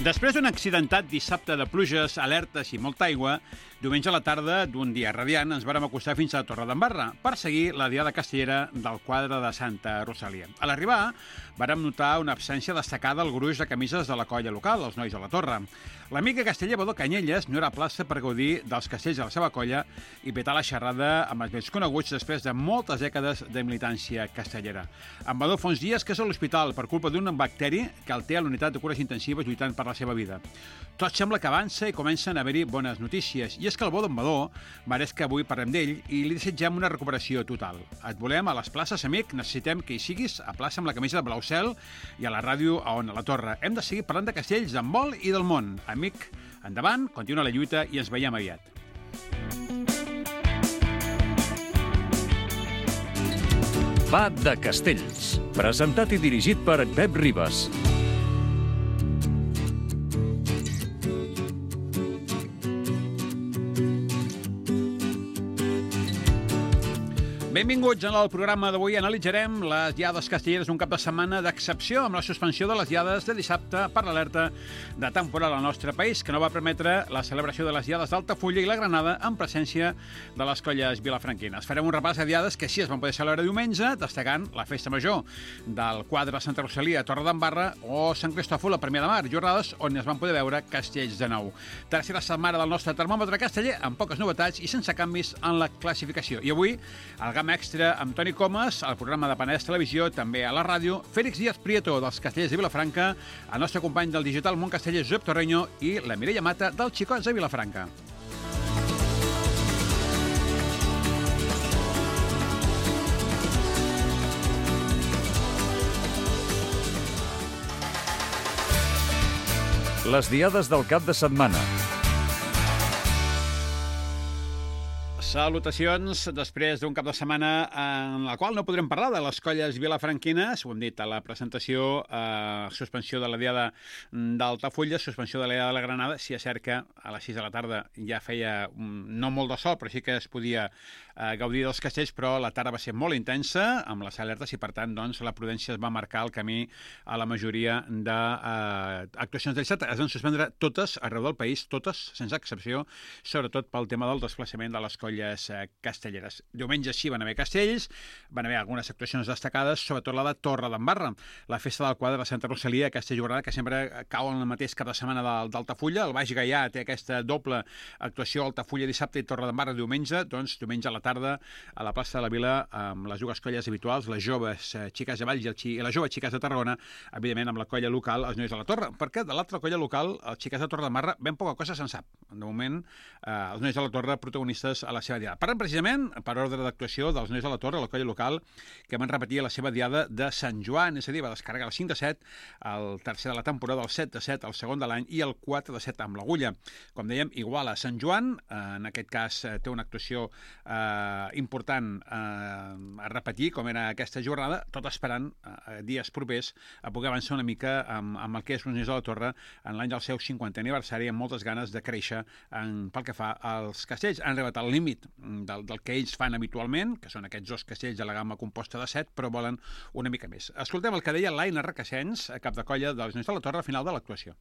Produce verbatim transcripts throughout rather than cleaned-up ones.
Després d'un accidentat dissabte de pluges, alertes i molta aigua, diumenge a la tarda d'un dia radiant ens vàrem acostar fins a Torredembarra per seguir la diada castellera del quadre de Santa Rosalia. A l'arribar, vàrem notar una absència destacada al gruix de camises de la colla local, els nois de la Torre. L'amic casteller Badó Canyelles no era a plaça per gaudir dels castells de la seva colla i petar la xerrada amb els vells coneguts després de moltes dècades de militància castellera. En Badó fa uns dies que és a l'hospital per culpa d'un bacteri que el té a l'unitat de cures intensives lluitant per la seva vida. Tot sembla que avança i comencen a haver-hi bones notícies. I és que el bo d'en Badó mereix que avui parlem d'ell i li desitgem una recuperació total. Et volem a les places, amic. Necessitem que hi siguis a plaça amb la camisa de blau cel i a la ràdio a On, a la Torre. Hem de seguir parlant de castells d'en vol i del món. Amic, endavant, continua la lluita i ens veiem aviat. Va de Castells, presentat i dirigit per Pep Ribas. Benvinguts al programa d'avui. Analitzarem les diades castelleres d'un cap de setmana d'excepció amb la suspensió de les diades de dissabte per l'alerta de temporal al nostre país, que no va permetre la celebració de les diades d'Altafulla i la Granada en presència de les colles vilafranquines. Farem un repàs de diades que sí es van poder celebrar diumenge, destacant la festa major del quadre de Santa Rosalia a Torredembarra o Sant Cristòfol a Premià de Mar, jornades on es van poder veure castells de nou. Tercera setmana del nostre termòmetre casteller, amb poques novetats i sense canvis en la classificació. I avui, el Gama Extra amb Toni Comas, al programa de Penedès Televisió, també a la ràdio, Félix Díaz Prieto, dels Castellers de Vilafranca, el nostre company del digital Món Casteller, Josep Torreño, i la Mireia Mata, dels Xicots de Vilafranca. Les diades del cap de setmana. Salutacions, després d'un cap de setmana en la qual no podrem parlar de les colles vilafranquines, ho hem dit a la presentació, eh, suspensió de la diada d'Altafulla, suspensió de la diada de la Granada. Si és cert que a les sis de la tarda ja feia no molt de sol, però sí que es podia eh, gaudir dels castells, però la tarda va ser molt intensa amb les alertes i, per tant, doncs, la prudència es va marcar el camí a la majoria d'actuacions de dissabte. Es van suspendre totes arreu del país, totes, sense excepció, sobretot pel tema del desplaçament de les colles castelleres. Diumenge sí van haver castells, van haver algunes actuacions destacades, sobretot la de Torredembarra, la festa del quadre de Santa Rosalia, aquesta jornada que sempre cau en el mateix cap de setmana d'Altafulla. El Baix Gaià té aquesta doble actuació, Altafulla dissabte i Torredembarra diumenge. Doncs diumenge a la tarda a la plaça de la Vila amb les dues colles habituals, les joves xiques de Valls i les joves xiques de Tarragona, evidentment amb la colla local, els nois de la Torre, perquè de l'altra colla local, els xiques de Torredembarra, ben poca cosa se'n sap. De moment, eh, els nois de la Torre protagonistes a la seva diada. Parlem precisament, per ordre d'actuació, dels nois de la Torre, la colla local, que van repetir la seva diada de Sant Joan, és a dir, va descarregar el cinc de set, el tercer de la temporada, el set de set, el segon de l'any i el quatre de set amb l'Agulla. Com dèiem, igual a Sant Joan, en aquest cas té una actuació eh, important eh, a repetir, com era aquesta jornada, tot esperant eh, dies propers a poder avançar una mica amb, amb el que és els nois de la Torre en l'any del seu cinquantè aniversari, amb moltes ganes de créixer en, pel que fa als castells. Han arribat al límit del, del que ells fan habitualment, que són aquests dos castells de la gamma composta de set, però volen una mica més. Escoltem el que deia l'Aina Requesens, cap de colla dels nois de la Torre, al final de l'actuació.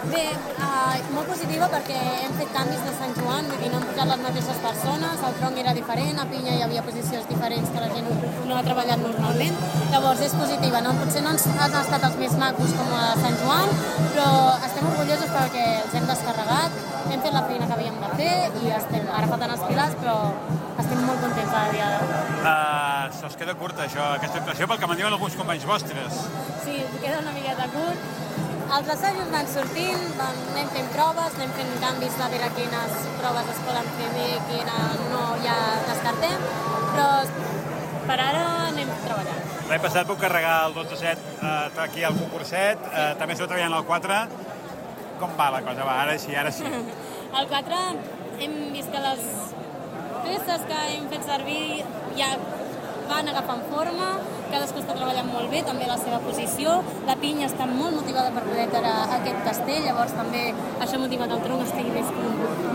Bé, uh, molt positiva perquè hem fet canvis de Sant Joan, vull dir, no han pujat les mateixes persones, el tronc era diferent, a Pinya hi havia posicions diferents que la gent no ha treballat normalment, llavors és positiva, no? Potser no han estat els més macos com a Sant Joan, però estem orgullosos perquè els hem descarregat, hem fet la feina que havíem de fer i estem, ara falten els pilars, però estem molt contents de la diada. Uh, Se'ls queda curta, això, aquesta actuació, pel que me'n diuen alguns companys vostres. Sí, queda una miqueta curt. Els assajos van sortint, van, anem fent proves, anem fent canvis de veure quines proves es poden fer bé, quines no ja descartem, però per ara anem treballant. L'any passat vau carregar el dotze set eh, aquí al concurset, eh, també esteu treballant al quatre. Com va la cosa? Va, ara sí, ara sí. Al quatre hem vist que les peces que hem fet servir ja van agafant forma, cadascú està treballant molt bé, també la seva posició. La Pinya està molt motivada per poder treure aquest castell, llavors també això motiva que el tronc estigui més,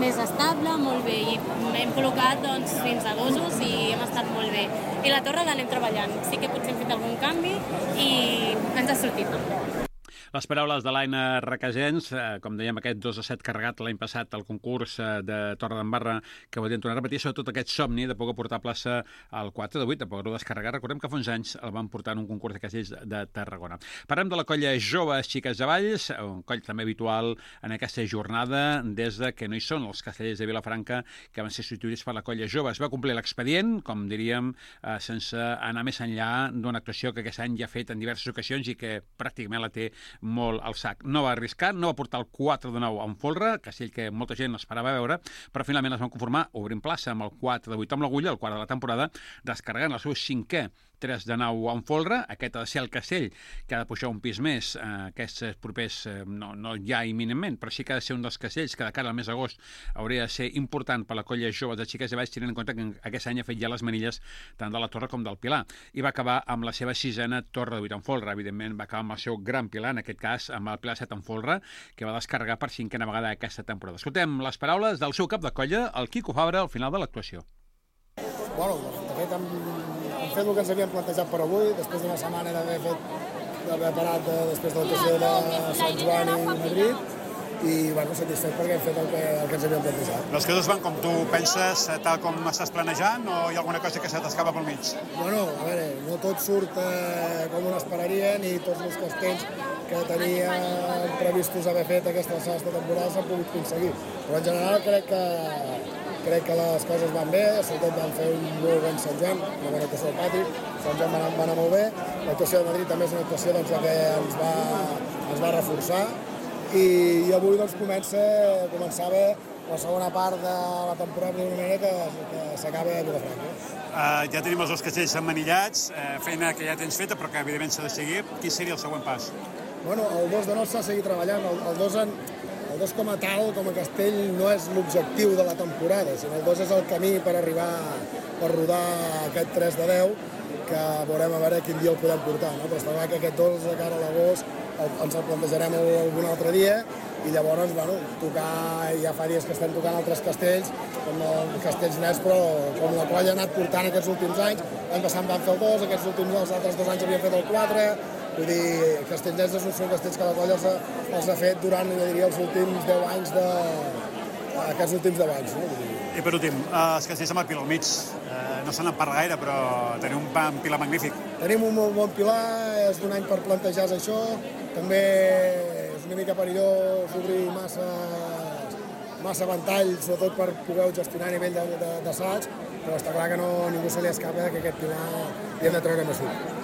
més estable, molt bé. I hem col·locat doncs, fins a dosos i hem estat molt bé. I la torre l'anem treballant. Sí que potser hem fet algun canvi i ens ha sortit. Les paraules de l'Aina Requesens, eh, com dèiem, aquest dos a set carregat l'any passat al concurs eh, de Torredembarra, que voldrien tornar a repetir, sobretot aquest somni de poder portar plaça al quatre de vuit, de poder-ho descarregar. Recordem que fa uns anys el van portar en un concurs de castells de Tarragona. Parlem de la colla Joves Xiques de Valls, un coll també habitual en aquesta jornada, des de que no hi són els castellers de Vilafranca, que van ser substituïts per la colla Joves. Va complir l'expedient, com diríem, eh, sense anar més enllà d'una actuació que aquest any ja ha fet en diverses ocasions i que pràcticament la té molt al sac. No va arriscar, no va portar el quatre de nou en folre, castell que molta gent esperava veure, però finalment es van conformar obrint plaça amb el quatre de vuit amb l'agulla, el quart de la temporada, descarregant el seu cinquè tres de nou en folre. Aquest ha de ser el castell que ha de pujar un pis més eh, aquests propers, eh, no, no ja imminentment, però sí que ha de ser un dels castells que de cara al mes d'agost hauria de ser important per la colla Joves de Xiques de Valls, tenint en compte que aquest any ha fet ja les manilles tant de la Torre com del Pilar. I va acabar amb la seva sisena Torre de vuit en folre. Evidentment va acabar amb el seu gran Pilar, en aquest cas amb el Pilar set en folre, que va descarregar per cinquena vegada aquesta temporada. Escoltem les paraules del seu cap de colla, el Quico Fabra, al final de l'actuació. Bueno, de fet, hem, hem fet el que ens havíem plantejat per avui, després d'una setmana d'haver fet, d'haver parat de, després de l'actuació de Sant Joan i Madrid, i bueno, satisfet perquè hem fet el que, el que ens havíem plantejat. Les coses van com tu penses, tal com estàs planejant, o hi ha alguna cosa que se t'escapa pel mig? Bueno, a veure, no tot surt eh, com un esperaria, ni tots els castells que teníem previstos haver fet aquesta temporada s'han pogut aconseguir. Però en general crec que crec que les coses van bé, sobretot vam fer un molt bon Sant Joan, una bona actuació al pati, Sant Joan va anar, va anar molt bé, l'actuació de Madrid també és una actuació doncs, que ens va, ens va reforçar, i, i avui doncs, comença, començava la segona part de la temporada d'una manera que, que s'acaba a Vilafranca. Uh, ja tenim els dos castells emmanillats, uh, feina que ja tens feta però que evidentment s'ha de seguir. Quin seria el següent pas? Bueno, el dos de nou s'ha de seguir treballant, el, el dos en... El dos com a tal, com a castell, no és l'objectiu de la temporada, sinó el dos és el camí per arribar, per rodar aquest tres de deu, que veurem a veure quin dia el podem portar, no? Però està clar que aquest dos de cara a l'agost ens el plantejarem algun altre dia, i llavors, bueno, tocar, ja fa dies que estem tocant altres castells, com els castells nets, però com la colla ha anat portant aquests últims anys, l'any passat van fer el dos, aquests últims els altres dos anys havien fet el quatre, vull dir, castells nets són castells que la colla els ha, els ha fet durant, jo diria, els últims deu anys de... aquests últims deu anys, no? I per últim, els castells amb el Pilar al mig, eh, no se n'en parla gaire, però tenim un Pilar magnífic. Tenim un molt bon Pilar, és d'un any per plantejar això, també és una mica perillós obrir massa, massa ventalls, sobretot per poder gestionar a nivell d'assaig, però està clar que no, ningú se li escapa que aquest Pilar li hem de treure més útil.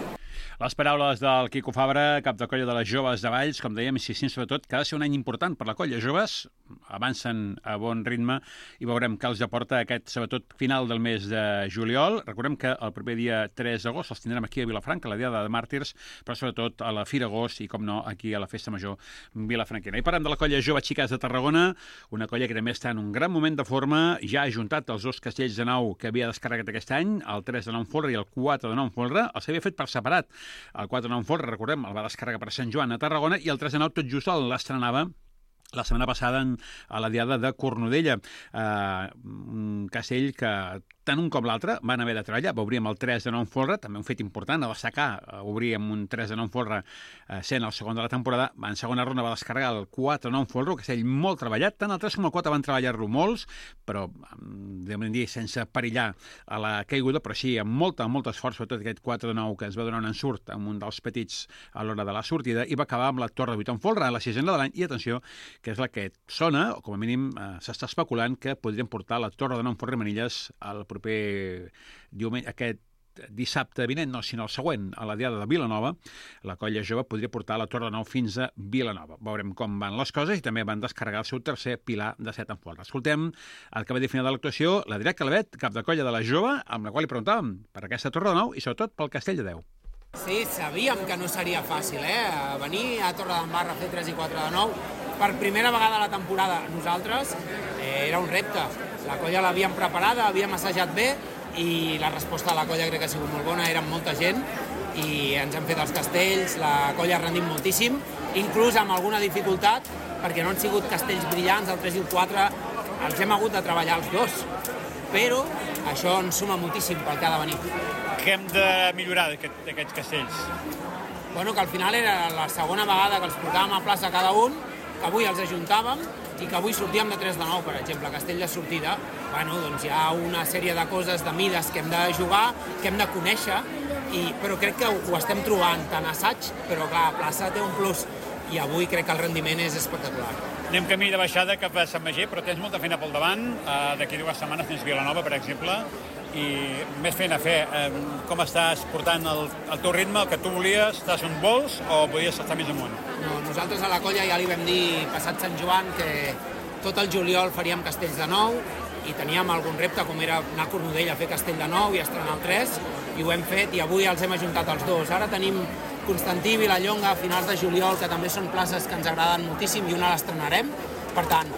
Les paraules del Quico Fabra, cap de colla de les Joves de Valls, com dèiem, insistint sobretot que ha de ser un any important per la colla. Joves avancen a bon ritme i veurem què els aporta aquest, sobretot, final del mes de juliol. Recordem que el proper dia tres d'agost els tindrem aquí a Vilafranca, a la Diada de Màrtirs, però sobretot a la Fira Agost i, com no, aquí a la Festa Major vilafranquina. I parlem de la colla Joves Xiques de Tarragona, una colla que també està en un gran moment de forma, ja ha ajuntat els dos castells de nou que havia descarregat aquest any, el tres de nou en folre i el quatre de nou en folre, els havia fet per separat. El quatre de nou en folre, recordem, el va descarregar per Sant Joan a Tarragona, i el tres de nou tot just l'estrenava la setmana passada en, a la Diada de Cornudella. Eh, un castell que tant un com l'altre van haver de treballar. Va obrir amb el tres de nou en folre, també un fet important a destacar, obrir amb un tres de nou en folre eh, sent el segon de la temporada. En segona ronda va descarregar el quatre de nou en folre, un castell molt treballat, tant el tres com el quatre van treballar-lo molts, però devem dir sense perillar a la caiguda, però sí amb molta, molt esforç, sobretot aquest quatre de nou que es va donar un ensurt amb un dels petits a l'hora de la sortida, i va acabar amb la Torre de vuit en folre, a la sisena de l'any, i atenció, que és la que sona, o com a mínim eh, s'està especulant que podrien portar la Torre de nou en folre i manilles al proper diumenge, aquest dissabte vinent, no, sinó el següent, a la Diada de Vilanova. La colla jove podria portar la Torre de Nou fins a Vilanova. Veurem com van les coses, i també van descarregar el seu tercer Pilar de set en folre. Escoltem el que va dir final de l'actuació, la Direct Calvet, cap de colla de la jove, amb la qual li preguntàvem per aquesta Torre de Nou i sobretot pel Castell de Déu. Sí, sabíem que no seria fàcil, eh? Venir a Torredembarra a fer tres i quatre de nou per primera vegada a la temporada nosaltres eh, era un repte. La colla l'havíem preparada, havíem assajat bé, i la resposta de la colla crec que ha sigut molt bona, érem molta gent i ens han fet els castells, la colla ha rendit moltíssim, inclús amb alguna dificultat, perquè no han sigut castells brillants, el tres i el quatre els hem hagut de treballar els dos, però això ens suma moltíssim pel que ha de venir. Què hem de millorar d'aquests castells? bueno, que al final era la segona vegada que els portàvem a plaça cada un, que avui els ajuntàvem i que avui sortíem de tres de nou, per exemple, a Castell de sortida. Bueno, doncs hi ha una sèrie de coses, de mides que hem de jugar, que hem de conèixer, i, però crec que ho, ho estem trobant tant assaig, però clar, plaça té un plus, i avui crec que el rendiment és espectacular. Anem camí de baixada cap a Sant Magí, però tens molta feina pel davant. Uh, D'aquí dues setmanes tens Vilanova, per exemple, i més feina a fer. Uh, com estàs portant el, el teu ritme, el que tu volies? Estàs on vols o podies estar més amunt? No, nosaltres a la colla ja li vam dir, passat Sant Joan, que tot el juliol faríem Castells de nou, i teníem algun repte, com era anar a Cornudella a fer Castell de nou i estrenar el tres, i ho hem fet, i avui els hem ajuntat els dos. Ara tenim Constantí i Vilallonga a finals de juliol, que també són places que ens agraden moltíssim, i una l'estrenarem. Per tant,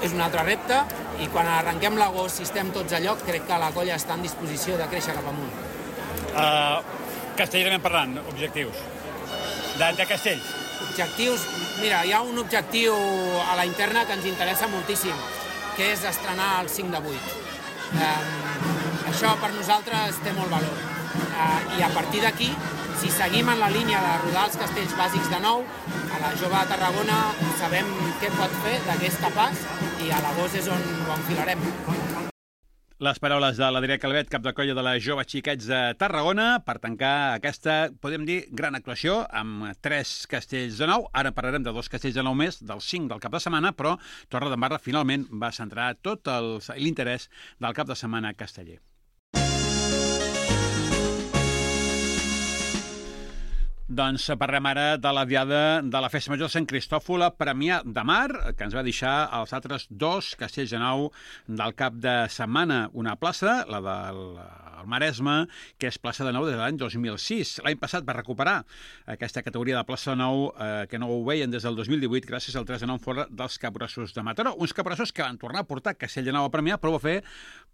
és un altre repte, i quan arrenquem l'agost, si estem tots a lloc, crec que la colla està en disposició de créixer cap amunt. Uh, Castellerament parlant, objectius. De, de Castells. Objectius, mira, hi ha un objectiu a la interna que ens interessa moltíssim, que és estrenar el cinc de vuit. Um, això per nosaltres té molt valor. Uh, I a partir d'aquí, si seguim en la línia de rodar els castells bàsics de nou, a la jove de Tarragona sabem què pot fer, de què és capaç, i a l'agost és on ho enfilarem. Les paraules de l'Adrià Calvet, cap de colla de la Jove Xiquets de Tarragona, per tancar aquesta, podem dir, gran actuació amb tres castells de nou. Ara parlarem de dos castells de nou més, dels cinc del cap de setmana, però Torredembarra finalment va centrar tot l'interès del cap de setmana casteller. Doncs parlem ara de la diada de la Festa Major de Sant Cristòfol a Premià de Mar, que ens va deixar els altres dos castells de nou del cap de setmana. Una plaça, la del Maresme, que és plaça de nou des de l'any dos mil sis. L'any passat va recuperar aquesta categoria de plaça de nou, eh, que no ho veien des del dos mil divuit, gràcies al tres de nou en folre dels Capgrossos de Mataró. Uns Capgrossos que van tornar a portar castell de nou a Premià, però ho va fer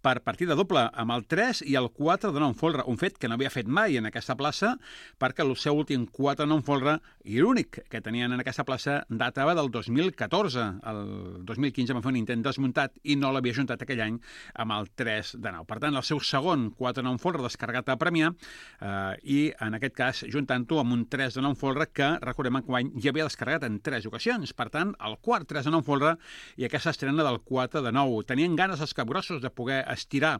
per partida doble, amb el tres i el quatre de nou en folre, un fet que no havia fet mai en aquesta plaça, perquè el seu últim quatre de nou en folre, i l'únic que tenien en aquesta plaça, datava del dos mil catorze. El dos mil quinze va fer un intent desmuntat i no l'havia juntat aquell any amb el tres de nou. Per tant, el seu segon quatre de nou en folre descarregat a Premià, eh, i en aquest cas juntant-ho amb un tres de nou en folre que, recordem, enguany ja havia descarregat en tres ocasions. Per tant, el quart tres de nou en folre i aquesta estrena del quatre de nou. Tenien ganes els capgrossos de poder estirar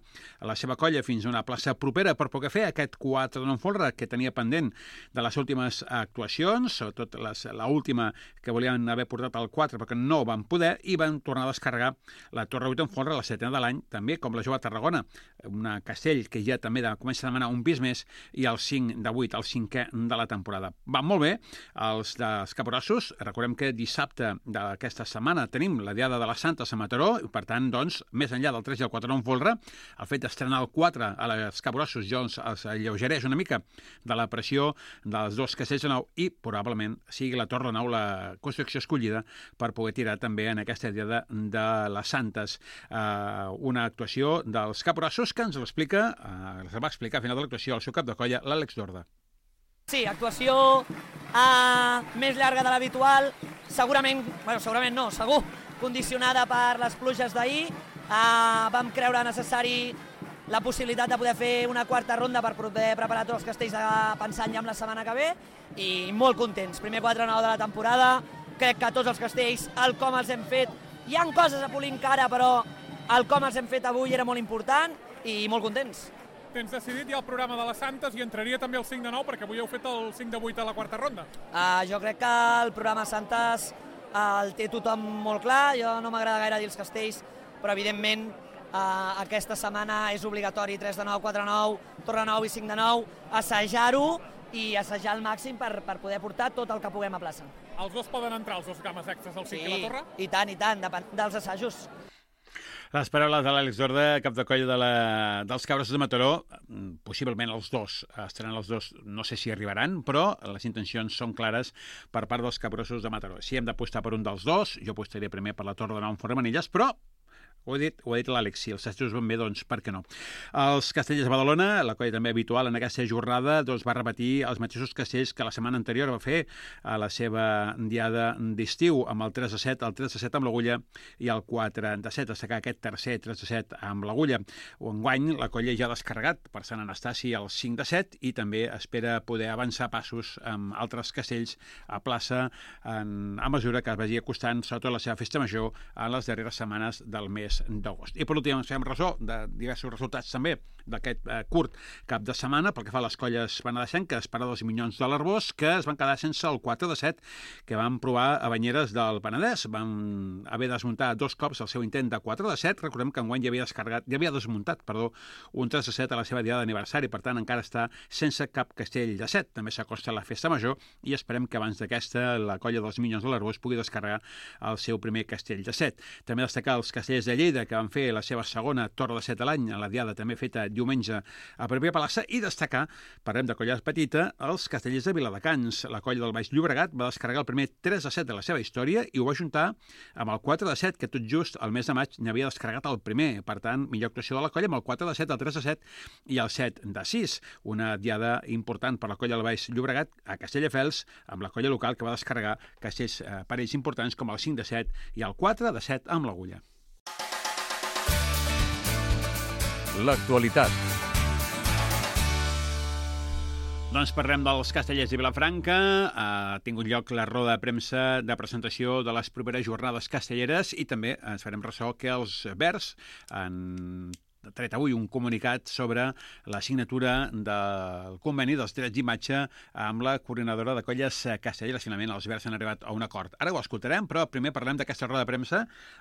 la seva colla fins a una plaça propera per poder fer aquest quatre de nou en folre que tenia pendent de les últimes actuacions, sobretot l'última que volien haver portat al quatre perquè no van poder, i van tornar a descarregar la Torre vuit en folre, la setena de l'any, també com la Jove Tarragona, una castell que ja també de, comença a demanar un pis més, i el cinc de vuit, el cinquè de la temporada. Van molt bé els dels Capgrossos. Recordem que dissabte d'aquesta setmana tenim la Diada de les Santes a Mataró, i per tant, doncs, més enllà del tres i el quatre de nou en folre, el fet d'estrenar el quatre a les Capgrossos ja els alleugereix una mica de la pressió dels dos castells de nou, i probablement sigui la Torre de Nou la construcció escollida per poder tirar també en aquesta Diada de les Santes. Uh, una actuació dels Capgrossos que ens l'explica, uh, ens va explicar a final de l'actuació el seu cap de colla, l'Àlex Dorda. Sí, actuació uh, més llarga de l'habitual, segurament, bueno, segurament no, segur, condicionada per les pluges d'ahir. Uh, vam creure necessari la possibilitat de poder fer una quarta ronda per poder preparar tots els castells de pensant ja amb la setmana que ve, i molt contents. Primer quatre nou de la temporada, crec que tots els castells, el com els hem fet, hi ha coses a polir encara, però el com els hem fet avui era molt important i molt contents. Tens decidit ja el programa de les Santes i entraria també el cinc de nou, perquè avui heu fet el cinc de vuit a la quarta ronda. Uh, jo crec que el programa Santes uh, el té tothom molt clar. Jo no m'agrada gaire dir els castells, però evidentment uh, aquesta setmana és obligatori tres de nou, quatre de nou, Torre nou i cinc de nou, assajar-ho i assajar al màxim per, per poder portar tot el que puguem a plaça. Els dos poden entrar, els dos games extras, el cinc sí, i la Torre? I tant, i tant, depèn dels assajos. Les paraules de l'Àlex Dorda, cap de colla de la, dels Capgrossos de Mataró, possiblement els dos, estaran els dos, no sé si arribaran, però les intencions són clares per part dels Capgrossos de Mataró. Si hem d'apostar per un dels dos, jo apostaria primer per la Torre de Nou en Formanilles, però Ho ha dit, ho ha dit l'Àlex, si els assajos van bé, doncs per què no? Els Castellers de Badalona, la colla també habitual en aquesta jornada, doncs va repetir els mateixos castells que la setmana anterior va fer a la seva diada d'estiu, amb el tres a set, el tres a set amb l'Agulla i el quatre a set, destacar aquest tercer tres a set amb l'Agulla. Enguany, la colla ja ha descarregat per Sant Anastasi el cinc a set i també espera poder avançar passos amb altres castells a plaça en, a mesura que es vagi acostant, sobretot la seva festa major, en les darreres setmanes del mes d'agost. I per últim, ens fem ressò de diversos resultats també d'aquest eh, curt cap de setmana pel que fa a les colles penedesenques, Parades i Minyons de l'Arbós, que es van quedar sense el quatre de set que van provar a Banyeres del Penedès. Van haver de desmuntar dos cops el seu intent de quatre de set. Recordem que enguany ja havia descarregat, ja havia desmuntat, perdó, un tres de set a la seva diada d'aniversari, per tant encara està sense cap castell de set. També s'acosta la festa major i esperem que abans d'aquesta la colla dels Minyons de l'Arbós pugui descarregar el seu primer castell de set. També destacar els castellers de Lleida, que van fer la seva segona torre de set a l'any, a la diada també feta diumenge a Pròpia Palassa, i destacar, parlem de colla petita, els castellers de Viladecans. La colla del Baix Llobregat va descarregar el primer tres a set de la seva història i ho va juntar amb el quatre de set, que tot just al mes de maig n'havia descarregat el primer. Per tant, millor actuació de la colla amb el quatre de set, el tres de set i el set de sis. Una diada important per la colla del Baix Llobregat a Castelldefels, amb la colla local que va descarregar castells eh, parells importants com el cinc de set i el quatre de set amb l'Agulla. L'actualitat. Doncs parlem dels castellers de Vilafranca. Ha tingut lloc la roda de premsa de presentació de les properes jornades castelleres i també ens farem ressò que els Verds han tret avui un comunicat sobre la signatura del conveni dels drets d'imatge amb la coordinadora de colles castelleres. Finalment, els Verds han arribat a un acord. Ara ho escoltarem, però primer parlem d'aquesta roda de premsa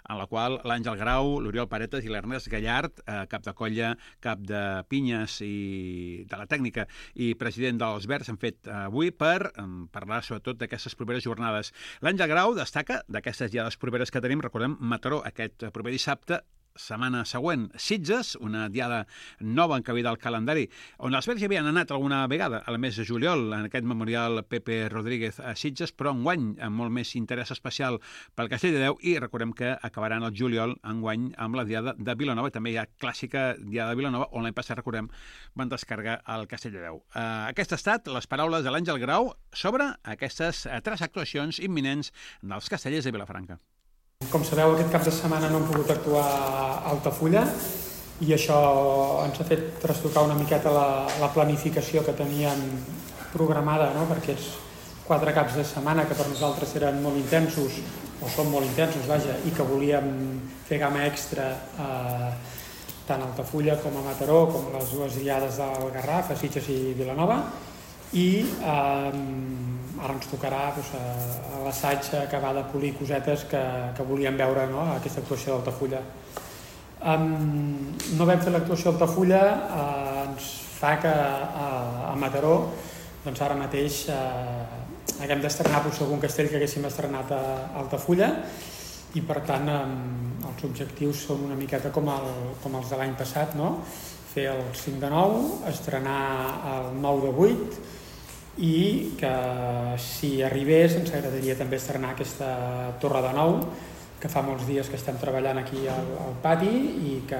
en la qual l'Àngel Grau, l'Oriol Paretes i l'Ernest Gallard, eh, cap de colla, cap de pinyes i de la tècnica i president dels Verds, han fet avui per eh, parlar sobretot d'aquestes properes jornades. L'Àngel Grau destaca d'aquestes diades properes que tenim, recordem, Mataró aquest proper dissabte, setmana següent, Sitges, una diada nova encabida al calendari, on els Verds ja havien anat alguna vegada al mes de juliol, en aquest memorial Pepe Rodríguez a Sitges, però enguany amb molt més interès especial pel Castell de Déu, i recordem que acabaran el juliol enguany amb la diada de Vilanova, també hi ha clàssica diada de Vilanova, on l'any passat, recordem, van descarregar el Castell de Déu. Uh, aquest ha estat les paraules de l'Àngel Grau sobre aquestes uh, tres actuacions imminents dels castellers de Vilafranca. Com sabeu, aquest cap de setmana no hem pogut actuar a Altafulla i això ens ha fet trastocar una miqueta la, la planificació que teníem programada, no?, per aquests quatre caps de setmana que per nosaltres eren molt intensos, o són molt intensos, vaja, i que volíem fer gamma extra eh, tant a Altafulla com a Mataró, com a les dues diades del Garraf, a Sitges i Vilanova, i eh, ara ens tocarà doncs, a l'assaig acabar de polir cosetes que, que volíem veure, no?, a aquesta actuació d'Altafulla. Um, no vam fer l'actuació d'Altafulla, uh, ens fa que uh, a Mataró doncs ara mateix uh, haguem d'estrenar doncs, algun castell que haguéssim estrenat a Altafulla i per tant um, els objectius són una miqueta com, el, com els de l'any passat, no?, fer el cinc de nou, estrenar el nou de vuit, i que si arribés ens agradaria també estrenar aquesta torre de nou que fa molts dies que estem treballant aquí al, al pati i que,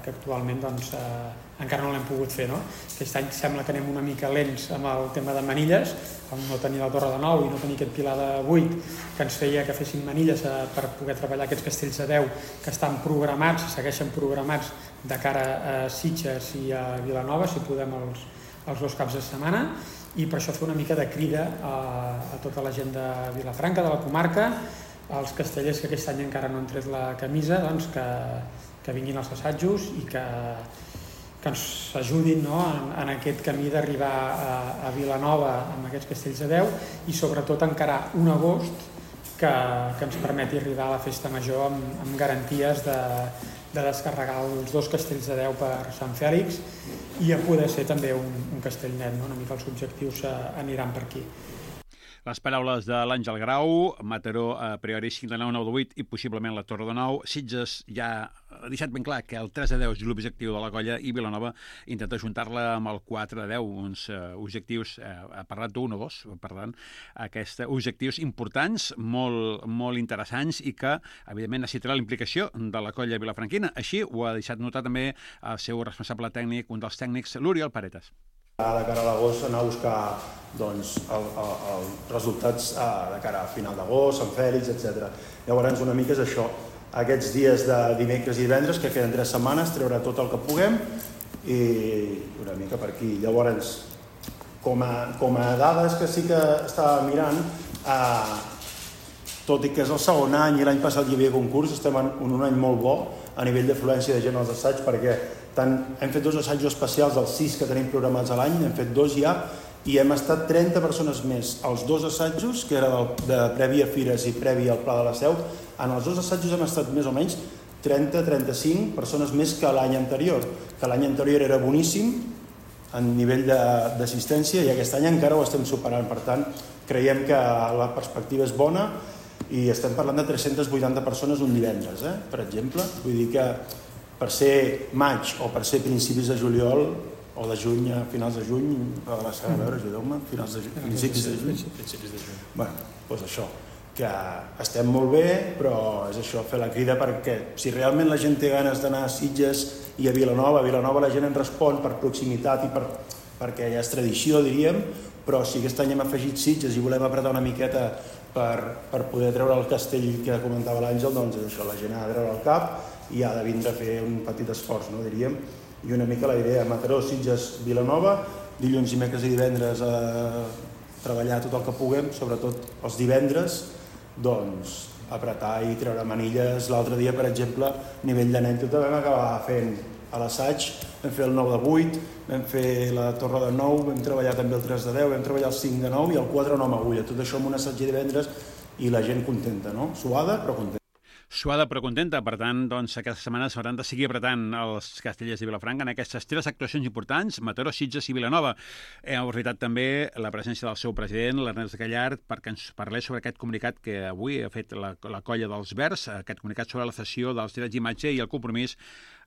que actualment doncs, eh, encara no l'hem pogut fer, no? Aquest any sembla que anem una mica lents amb el tema de manilles, amb no tenir la torre de nou i no tenir aquest pilar de vuit que ens feia que fessin manilles eh, per poder treballar aquests castells de deu que estan programats, segueixen programats de cara a Sitges i a Vilanova, si podem els, els dos caps de setmana, i per això fer una mica de crida a, a tota la gent de Vilafranca, de la comarca, als castellers que aquest any encara no han tret la camisa, doncs que, que vinguin als assajos i que, que ens ajudin, no?, en, en aquest camí d'arribar a, a Vilanova amb aquests castells de deu i sobretot encarar un agost que, que ens permeti arribar a la festa major amb, amb garanties de, de descarregar els dos castells de deu per Sant Fèlix i a poder ser també un, un castell net, no? Una mica els objectius aniran per aquí. Les paraules de l'Àngel Grau, Mataró a priori cinc de nou, nou de vuit i possiblement la Torre de nou. Sitges ja ha deixat ben clar que el tres de deu és l'objectiu de la colla i Vilanova intenta ajuntar-la amb el quatre de deu, uns uh, objectius, uh, ha parlat d'un o dos, per tant, aquests objectius importants, molt, molt interessants i que, evidentment, necessitarà la implicació de la colla vilafranquina. Així ho ha deixat notar també el seu responsable tècnic, un dels tècnics, l'Oriol Paretas. De cara a l'agost anar a buscar doncs, el, el, el resultats de cara a final d'agost, Sant Fèlix, etcètera. Llavors una mica és això, aquests dies de dimecres i divendres, que queden tres setmanes, treure tot el que puguem i una mica per aquí. Llavors, com a, com a dades que sí que estava mirant, eh, tot i que és el segon any i l'any passat hi havia concurs, estem en un any molt bo a nivell d'afluència de gent als assaigs, perquè tant, hem fet dos assajos especials dels sis que tenim programats a l'any, hem fet dos ja, i hem estat trenta persones més als dos assajos, que era del, de previ a Fires i previ al Pla de la Seu. En els dos assajos hem estat més o menys trenta a trenta-cinc persones més que l'any anterior, que l'any anterior era boníssim a nivell d'assistència i aquest any encara ho estem superant. Per tant, creiem que la perspectiva és bona i estem parlant de tres-centes vuitanta persones un divendres, eh? Per exemple. Vull dir que per ser maig o per ser principis de juliol o de juny a finals de juny, a la a veure, ajudeu-me, finals de juny, principis de juny. Principis de juny. Bueno, doncs això, que estem molt bé, però és això, fer la crida perquè si realment la gent té ganes d'anar a Sitges i a Vilanova, a Vilanova la gent en respon per proximitat i per, perquè ja és tradició, diríem, però si aquest any hem afegit Sitges i volem apretar una miqueta per, per poder treure el castell que comentava l'Àngel, doncs és això, la gent ha de treure el cap i ha de vindre a fer un petit esforç, no, diríem, i una mica la idea, Mataró, Sitges, Vilanova, dilluns, dimecres i divendres a treballar tot el que puguem, sobretot els divendres, doncs apretar i treure manilles. L'altre dia, per exemple, a nivell d'anècdota, vam acabar fent a l'assaig, vam fer el nou de vuit, vam fer la Torre de nou, vam treballar també el tres de deu, vam treballar el cinc de nou i el quatre de nou amb agulla. Tot això amb un assaig de divendres i la gent contenta, no? Suada, però contenta. Suada però contenta, per tant, doncs, aquesta setmana s'hauran de seguir apretant els castellers de Vilafranca en aquestes tres actuacions importants, Mataró, Sitges i Vilanova. Hem aprofitat també la presència del seu president, l'Ernest Gallard, perquè ens parlés sobre aquest comunicat que avui ha fet la, la colla dels Verds, aquest comunicat sobre la cessió dels drets d'imatge i el compromís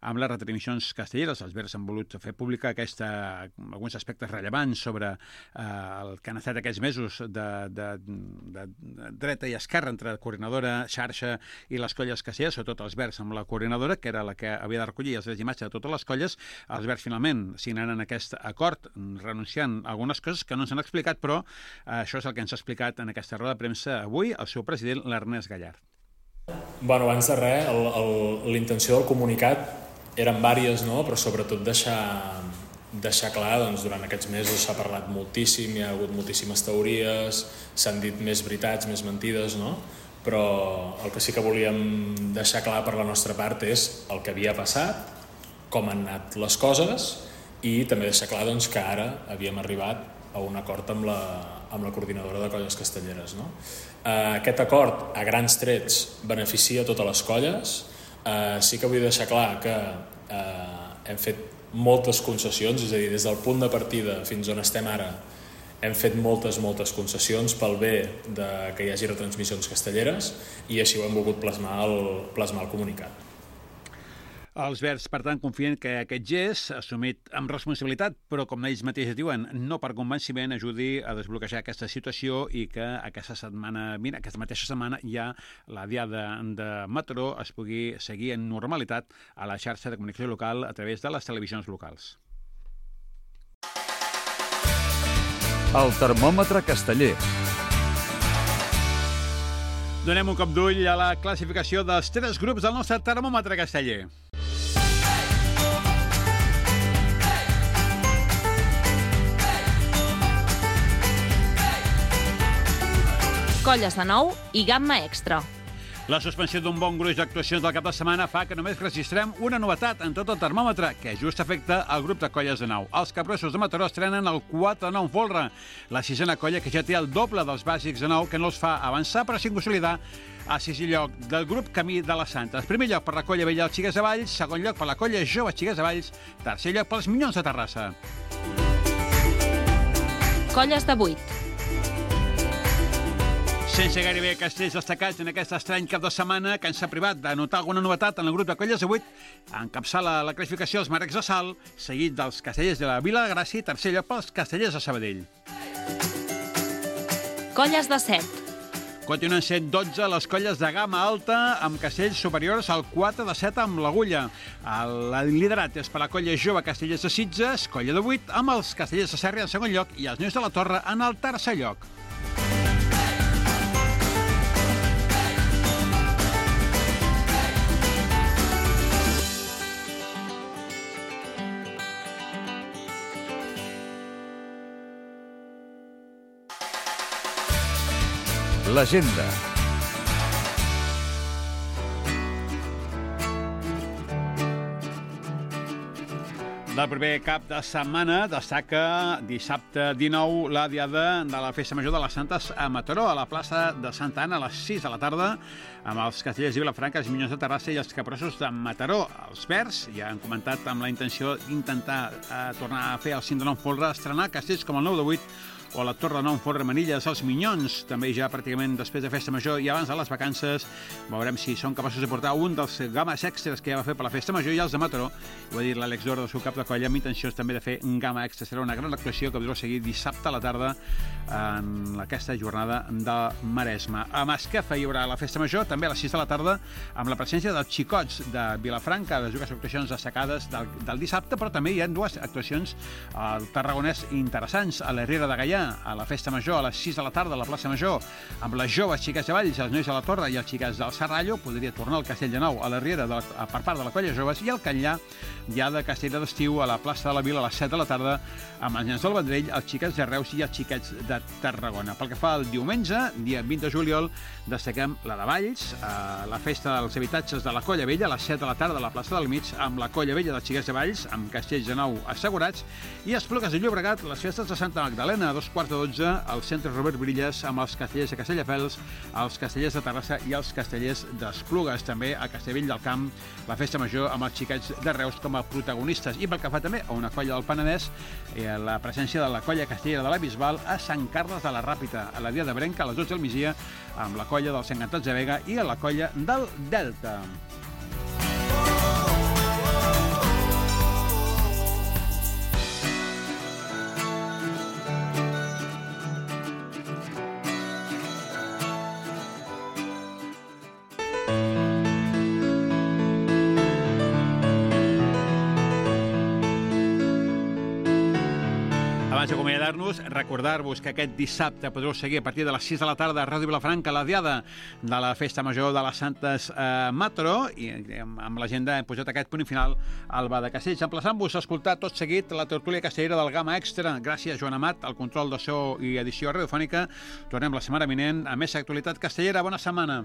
amb les retransmissions castelleres. Els Verds han volut fer pública aquesta, alguns aspectes rellevants sobre eh, el que han estat aquests mesos de, de, de, de dreta i esquerra entre coordinadora, xarxa i les colles castelleres, sobretot els Verds amb la coordinadora, que era la que havia de recollir els drets d'imatge de totes les colles. Els Verds finalment signaran aquest acord renunciant a algunes coses que no ens han explicat, però eh, això és el que ens ha explicat en aquesta roda de premsa avui el seu president, l'Ernest Gallard. Bueno, abans de res, l'intenció del comunicat eren vàries, no? Però sobretot deixar, deixar clar, doncs, durant aquests mesos s'ha parlat moltíssim, hi ha hagut moltíssimes teories, s'han dit més veritats, més mentides, no? Però el que sí que volíem deixar clar per la nostra part és el que havia passat, com han anat les coses i també deixar clar, doncs, que ara havíem arribat a un acord amb la, amb la coordinadora de colles castelleres, no? Eh, aquest acord, a grans trets, beneficia totes les colles. Uh, sí que vull deixar clar que uh, hem fet moltes concessions, és a dir, des del punt de partida fins on estem ara hem fet moltes, moltes concessions pel bé de que hi hagi retransmissions castelleres i així ho hem volgut plasmar al, plasmar al comunicat. Els Verds, per tant, confien que aquest gest, assumit amb responsabilitat, però com ells mateixos diuen, no per convenciment, ajudi a desbloquejar aquesta situació i que aquesta setmana, mira, aquesta mateixa setmana ja la diada de Mataró es pugui seguir en normalitat a la xarxa de comunicació local a través de les televisions locals. El termòmetre casteller. Donem un cop d'ull a la classificació dels tres grups del nostre termòmetre casteller. Colles de nou i gamma extra. La suspensió d'un bon gruix d'actuacions del cap de setmana fa que només registrem una novetat en tot el termòmetre, que just afecta el grup de colles de nou. Els Capgrossos de Mataró estrenen el quatre de nou en folre, la sisena colla que ja té el doble dels bàsics de nou, que no els fa avançar però sin consolidar a sisè lloc del grup Camí de les Santes. Primer lloc per la colla vella dels Xiques de Valls, segon lloc per la colla jove Xiques de Valls, tercer lloc pels Minyons de Terrassa. Colles de vuit. Sense gairebé castells destacats en aquest estrany cap de setmana que ens ha privat de notar alguna novetat en el grup de Colles de vuit, encapçala la classificació els Marecs de Salt, seguit dels Castellers de la Vila de Gràcia i tercer lloc pels Castellers de Sabadell. Colles de set. Continuen sent dotze les colles de gamma alta amb castells superiors al quatre de set amb l'Agulla. El liderat és per la colla jove Castellers de Sitges, colla de vuit, amb els Castellers de Serra en segon lloc i els Nois de la Torre en el tercer lloc. L'agenda. Del proper cap de setmana destaca dissabte dinou la diada de la Festa Major de les Santes a Mataró, a la plaça de Santa Anna a les sis de la tarda, amb els Castellers de Vilafranca, els Minyons de Terrassa i els Caprossos de Mataró. Els Verds ja han comentat amb la intenció d'intentar eh, tornar a fer el cim de nou folre, estrenar castells com el nou de vuit o la Torre de Nou Folre Manilles, els Minyons, també ja pràcticament després de Festa Major i abans de les vacances. Veurem si són capaços de portar un dels games extras que ja va fer per la Festa Major i els de Mataró. Ho ha dit l'Àlex Dor del seu cap de colla, amb intenció també de fer un gama extra. Serà una gran actuació que podreu seguir dissabte a la tarda en aquesta jornada de Maresme. A Masquefa hi haurà la Festa Major, també a les sis de la tarda, amb la presència dels xicots de Vilafranca, les dues actuacions destacades del, del dissabte, però també hi ha dues actuacions al Tarragonès interessants, a la Riera de Gaià, a la Festa Major, a les sis de la tarda a la plaça Major, amb les joves xiques de Valls, els Nois de la Torre i els xiques del Serrallo. Podria tornar al Castell de Nou a la Riera de la, per part de la colla joves, i el Catllà ja de Castella d'Estiu a la plaça de la Vila a les set de la tarda, amb els nens del Vendrell, els xiquets de Reus i els xiquets de Tarragona. Pel que fa al diumenge, dia vint de juliol, destaquem la de Valls, eh, la festa dels habitatges de la Colla Vella, a les set de la tarda a la plaça del Mig, amb la Colla Vella dels xiquets de Valls, amb castells de nou assegurats, i Esplugues de Llobregat, les festes de Santa Magdalena, a dos quarts de dotze, al centre Robert Brilles, amb els castellers de Castelldefels, els castellers de Terrassa i els castellers d'Esplugues. També a Castellvell del Camp, la festa major amb els xiquets de Reus com a protagonistes. I pel que fa també a una colla del Penedès, eh, la presència de la colla castellera de la Bisbal a Sant Carles de la Ràpita, a la dia de Brenca, a les dotze del migdia, amb la colla dels Encantats de Vega i a la colla del Delta. Abans d'acomiadar-nos, recordar-vos que aquest dissabte podreu seguir a partir de les sis de la tarda a Ràdio Vilafranca la diada de la Festa Major de les Santes a Mataró, i amb l'agenda hem posat aquest punt final al Bar de Castells, emplaçant-vos a escoltar tot seguit la tertúlia castellera del Gama Extra. Gràcies, Joan Amat, al control de so i edició radiofònica. Tornem la setmana vinent a més actualitat castellera. Bona setmana.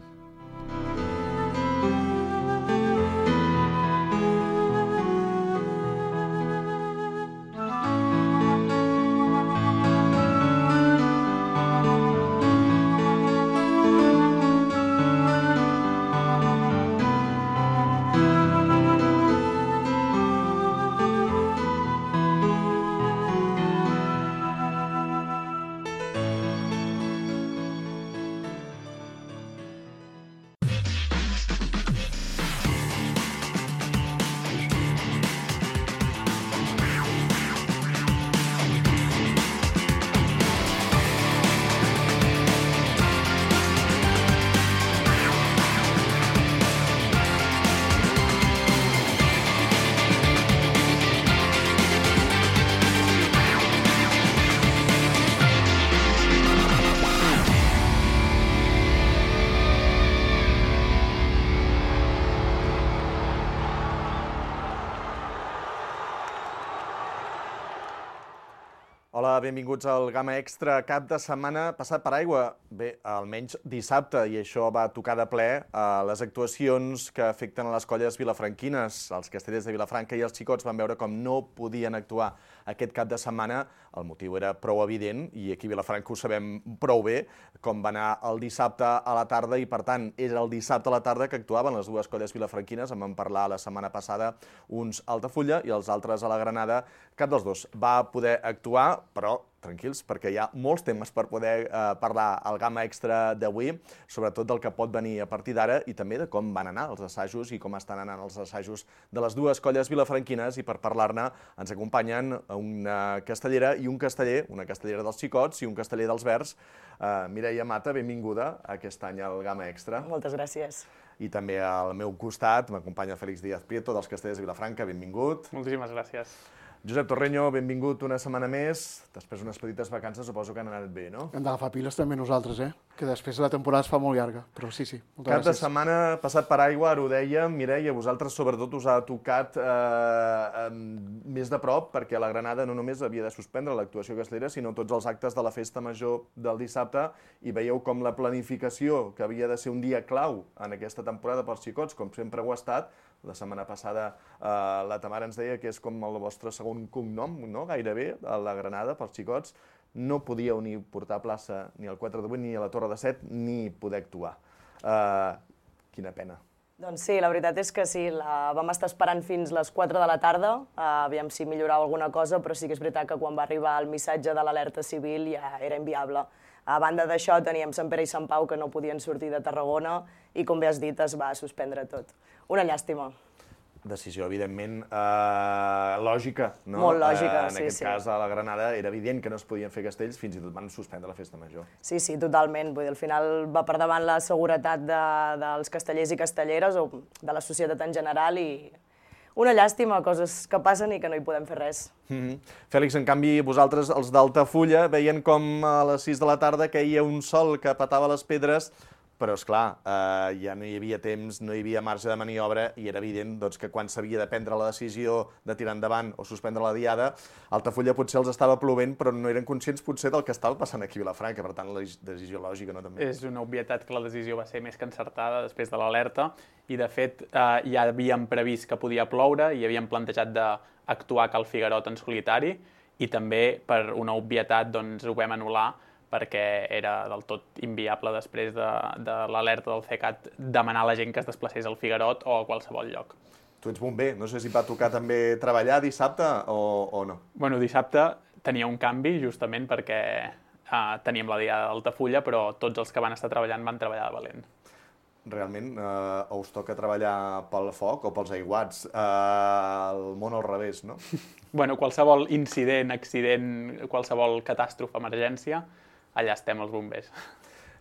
Hola, benvinguts al Gama Extra. Cap de setmana passat per aigua. Bé, almenys dissabte, i això va tocar de ple a les actuacions que afecten a les colles vilafranquines. Els castellers de Vilafranca i els xicots van veure com no podien actuar aquest cap de setmana. El motiu era prou evident, i aquí a Vilafranca ho sabem prou bé, com va anar el dissabte a la tarda, i per tant era el dissabte a la tarda que actuaven les dues colles vilafranquines. En vam parlar la setmana passada, uns a Altafulla i els altres a la Granada. Cap dels dos va poder actuar, però tranquils, perquè hi ha molts temes per poder eh, parlar al Gamma Extra d'avui, sobretot del que pot venir a partir d'ara i també de com van anar els assajos i com estan anant els assajos de les dues colles vilafranquines, i per parlar-ne ens acompanyen una castellera i un casteller, una castellera dels xicots i un casteller dels verds. Uh, Mireia Mata, benvinguda aquest any al Gamma Extra. Moltes gràcies. I també al meu costat m'acompanya Félix Díaz Prieto, dels Castellers de Vilafranca, benvingut. Moltíssimes gràcies. Josep Torreño, benvingut una setmana més. Després d'unes petites vacances, suposo que han anat bé, no? Hem d'agafar piles també nosaltres, eh? Que després la temporada es fa molt llarga, però sí, sí. Moltes Cap gràcies. de setmana passat per aigua, ara ho dèiem, Mireia, vosaltres sobretot us ha tocat eh, més de prop, perquè la Granada no només havia de suspendre l'actuació castellera, sinó tots els actes de la festa major del dissabte, i veieu com la planificació, que havia de ser un dia clau en aquesta temporada pels xicots, com sempre ho ha estat. La setmana passada eh, la Tamara ens deia que és com el vostre segon cognom, no? Gairebé, a la Granada, pels xicots. No podíeu ni portar plaça ni al quatre de vuit, ni a la Torre de set, ni poder actuar. Eh, quina pena. Doncs sí, la veritat és que sí, la vam estar esperant fins les quatre de la tarda, uh, aviam si millorava alguna cosa, però sí que és veritat que quan va arribar el missatge de l'alerta civil ja era inviable. A banda d'això teníem Sant Pere i Sant Pau que no podien sortir de Tarragona i, com bé has dit, es va suspendre tot. Una llàstima. Decisió, evidentment, eh, lògica, no? Molt lògica, eh, en sí, aquest sí. cas, a la Granada era evident que no es podien fer castells, fins i tot van suspendre la festa major. Sí, sí, totalment. Vull dir, al final va per davant la seguretat de, dels castellers i castelleres o de la societat en general i una llàstima, coses que passen i que no hi podem fer res. Mm-hmm. Fèlix, en canvi, vosaltres, els d'Altafulla, veien com a les sis de la tarda caia un sol que petava les pedres, però, esclar, eh, ja no hi havia temps, no hi havia marge de maniobra i era evident doncs, que quan s'havia de prendre la decisió de tirar endavant o suspendre la diada, Altafulla potser els estava plovent, però no eren conscients potser del que estava passant aquí a Vilafranca, per tant, la decisió lògica, no? També. És una obvietat que la decisió va ser més que encertada després de l'alerta i, de fet, eh, ja havíem previst que podia ploure i havíem plantejat d'actuar a Cal Figuerot en solitari i també, per una obvietat, doncs, ho vam anul·lar perquè era del tot inviable després de, de l'alerta del CECAT demanar a la gent que es desplacés al Figuerot o a qualsevol lloc. Tu ets bomber, no sé si va tocar també treballar dissabte o, o no. Bueno, dissabte tenia un canvi justament perquè eh, teníem la diada d'Altafulla, però tots els que van estar treballant van treballar de valent. Realment, eh, us toca treballar pel foc o pels aiguats, eh, el món al revés, no? Bueno, qualsevol incident, accident, qualsevol catàstrofe, emergència, allà estem els bombers.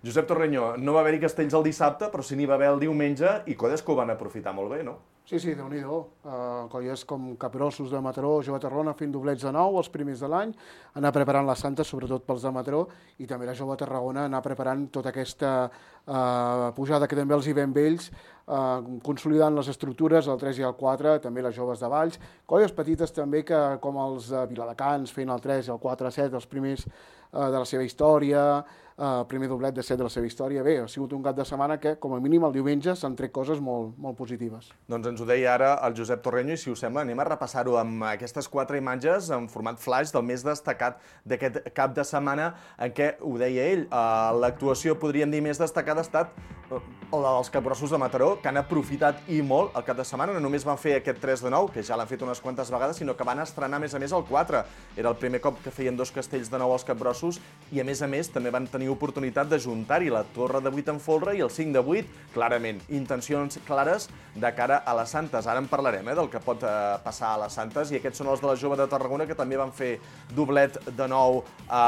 Josep Torreño, no va haver-hi castells el dissabte, però sí n'hi va haver el diumenge i colles que ho van aprofitar molt bé, no? Sí, sí, déu-n'hi-do. Uh, colles com Capgrossos de Mataró, Jove Tarragona fent doblets de nou, els primers de l'any, anar preparant la Santa, sobretot pels de Mataró, i també la Jove Tarragona anar preparant tota aquesta uh, pujada que també els hi ven vells, uh, consolidant les estructures, el tres i el quatre, també les joves de Valls, colles petites també que, com els de Viladecans, fent el tres i el quatre a set, els primers uh, de la seva història, el uh, primer doblet de set de la seva història. Bé, ha sigut un cap de setmana que, com a mínim, el diumenge s'han tret coses molt, molt positives. Doncs ens ho deia ara el Josep Torreño i, si us sembla, anem a repassar-ho amb aquestes quatre imatges en format flash del més destacat d'aquest cap de setmana, en què, ho deia ell, uh, l'actuació, podríem dir, més destacada ha estat uh, la dels Capgrossos de Mataró, que han aprofitat i molt el cap de setmana. No només van fer aquest tres de nou, que ja l'han fet unes quantes vegades, sinó que van estrenar, a més a més, el quatre. Era el primer cop que feien dos castells de nou als Capgrossos i, a més a més, també van tenir oportunitat de juntar-hi la Torre de vuit en folre i el cinc de vuit, clarament, intencions clares de cara a les Santes. Ara en parlarem, eh, del que pot eh, passar a les Santes, i aquests són els de la Jove de Tarragona, que també van fer doblet de nou a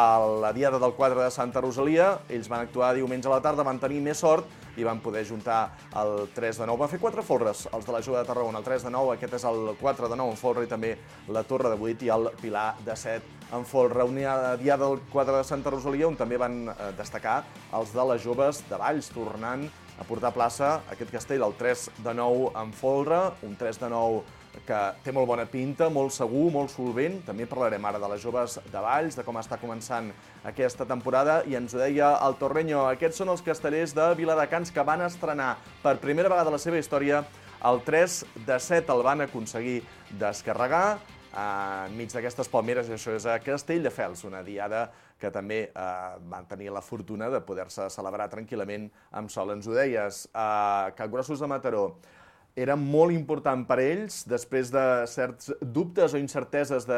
la diada del quatre de Santa Rosalia. Ells van actuar diumenge a la tarda, van tenir més sort i van poder juntar el tres de nou. Van fer quatre folres, els de la Jove de Tarragona, el tres de nou, aquest és el quatre de nou en folre, i també la Torre de vuit i el Pilar de set en folre. Una diada del quatre de Santa Rosalia on també van eh, destacar els de les joves de Valls, tornant a portar a plaça aquest castell, el tres de nou en folre, un tres de nou que té molt bona pinta, molt segur, molt solvent. També parlarem ara de les joves de Valls, de com està començant aquesta temporada, i ens ho deia el Torreño, aquests són els castellers de Viladecans que van estrenar per primera vegada a la seva història el tres de set, el van aconseguir descarregar enmig d'aquestes palmeres. Això és a Castelldefels, una diada que també eh, van tenir la fortuna de poder-se celebrar tranquil·lament amb sol. Ens ho deies, a Capgrossos de Mataró. era molt important per ells, després de certs dubtes o incerteses de,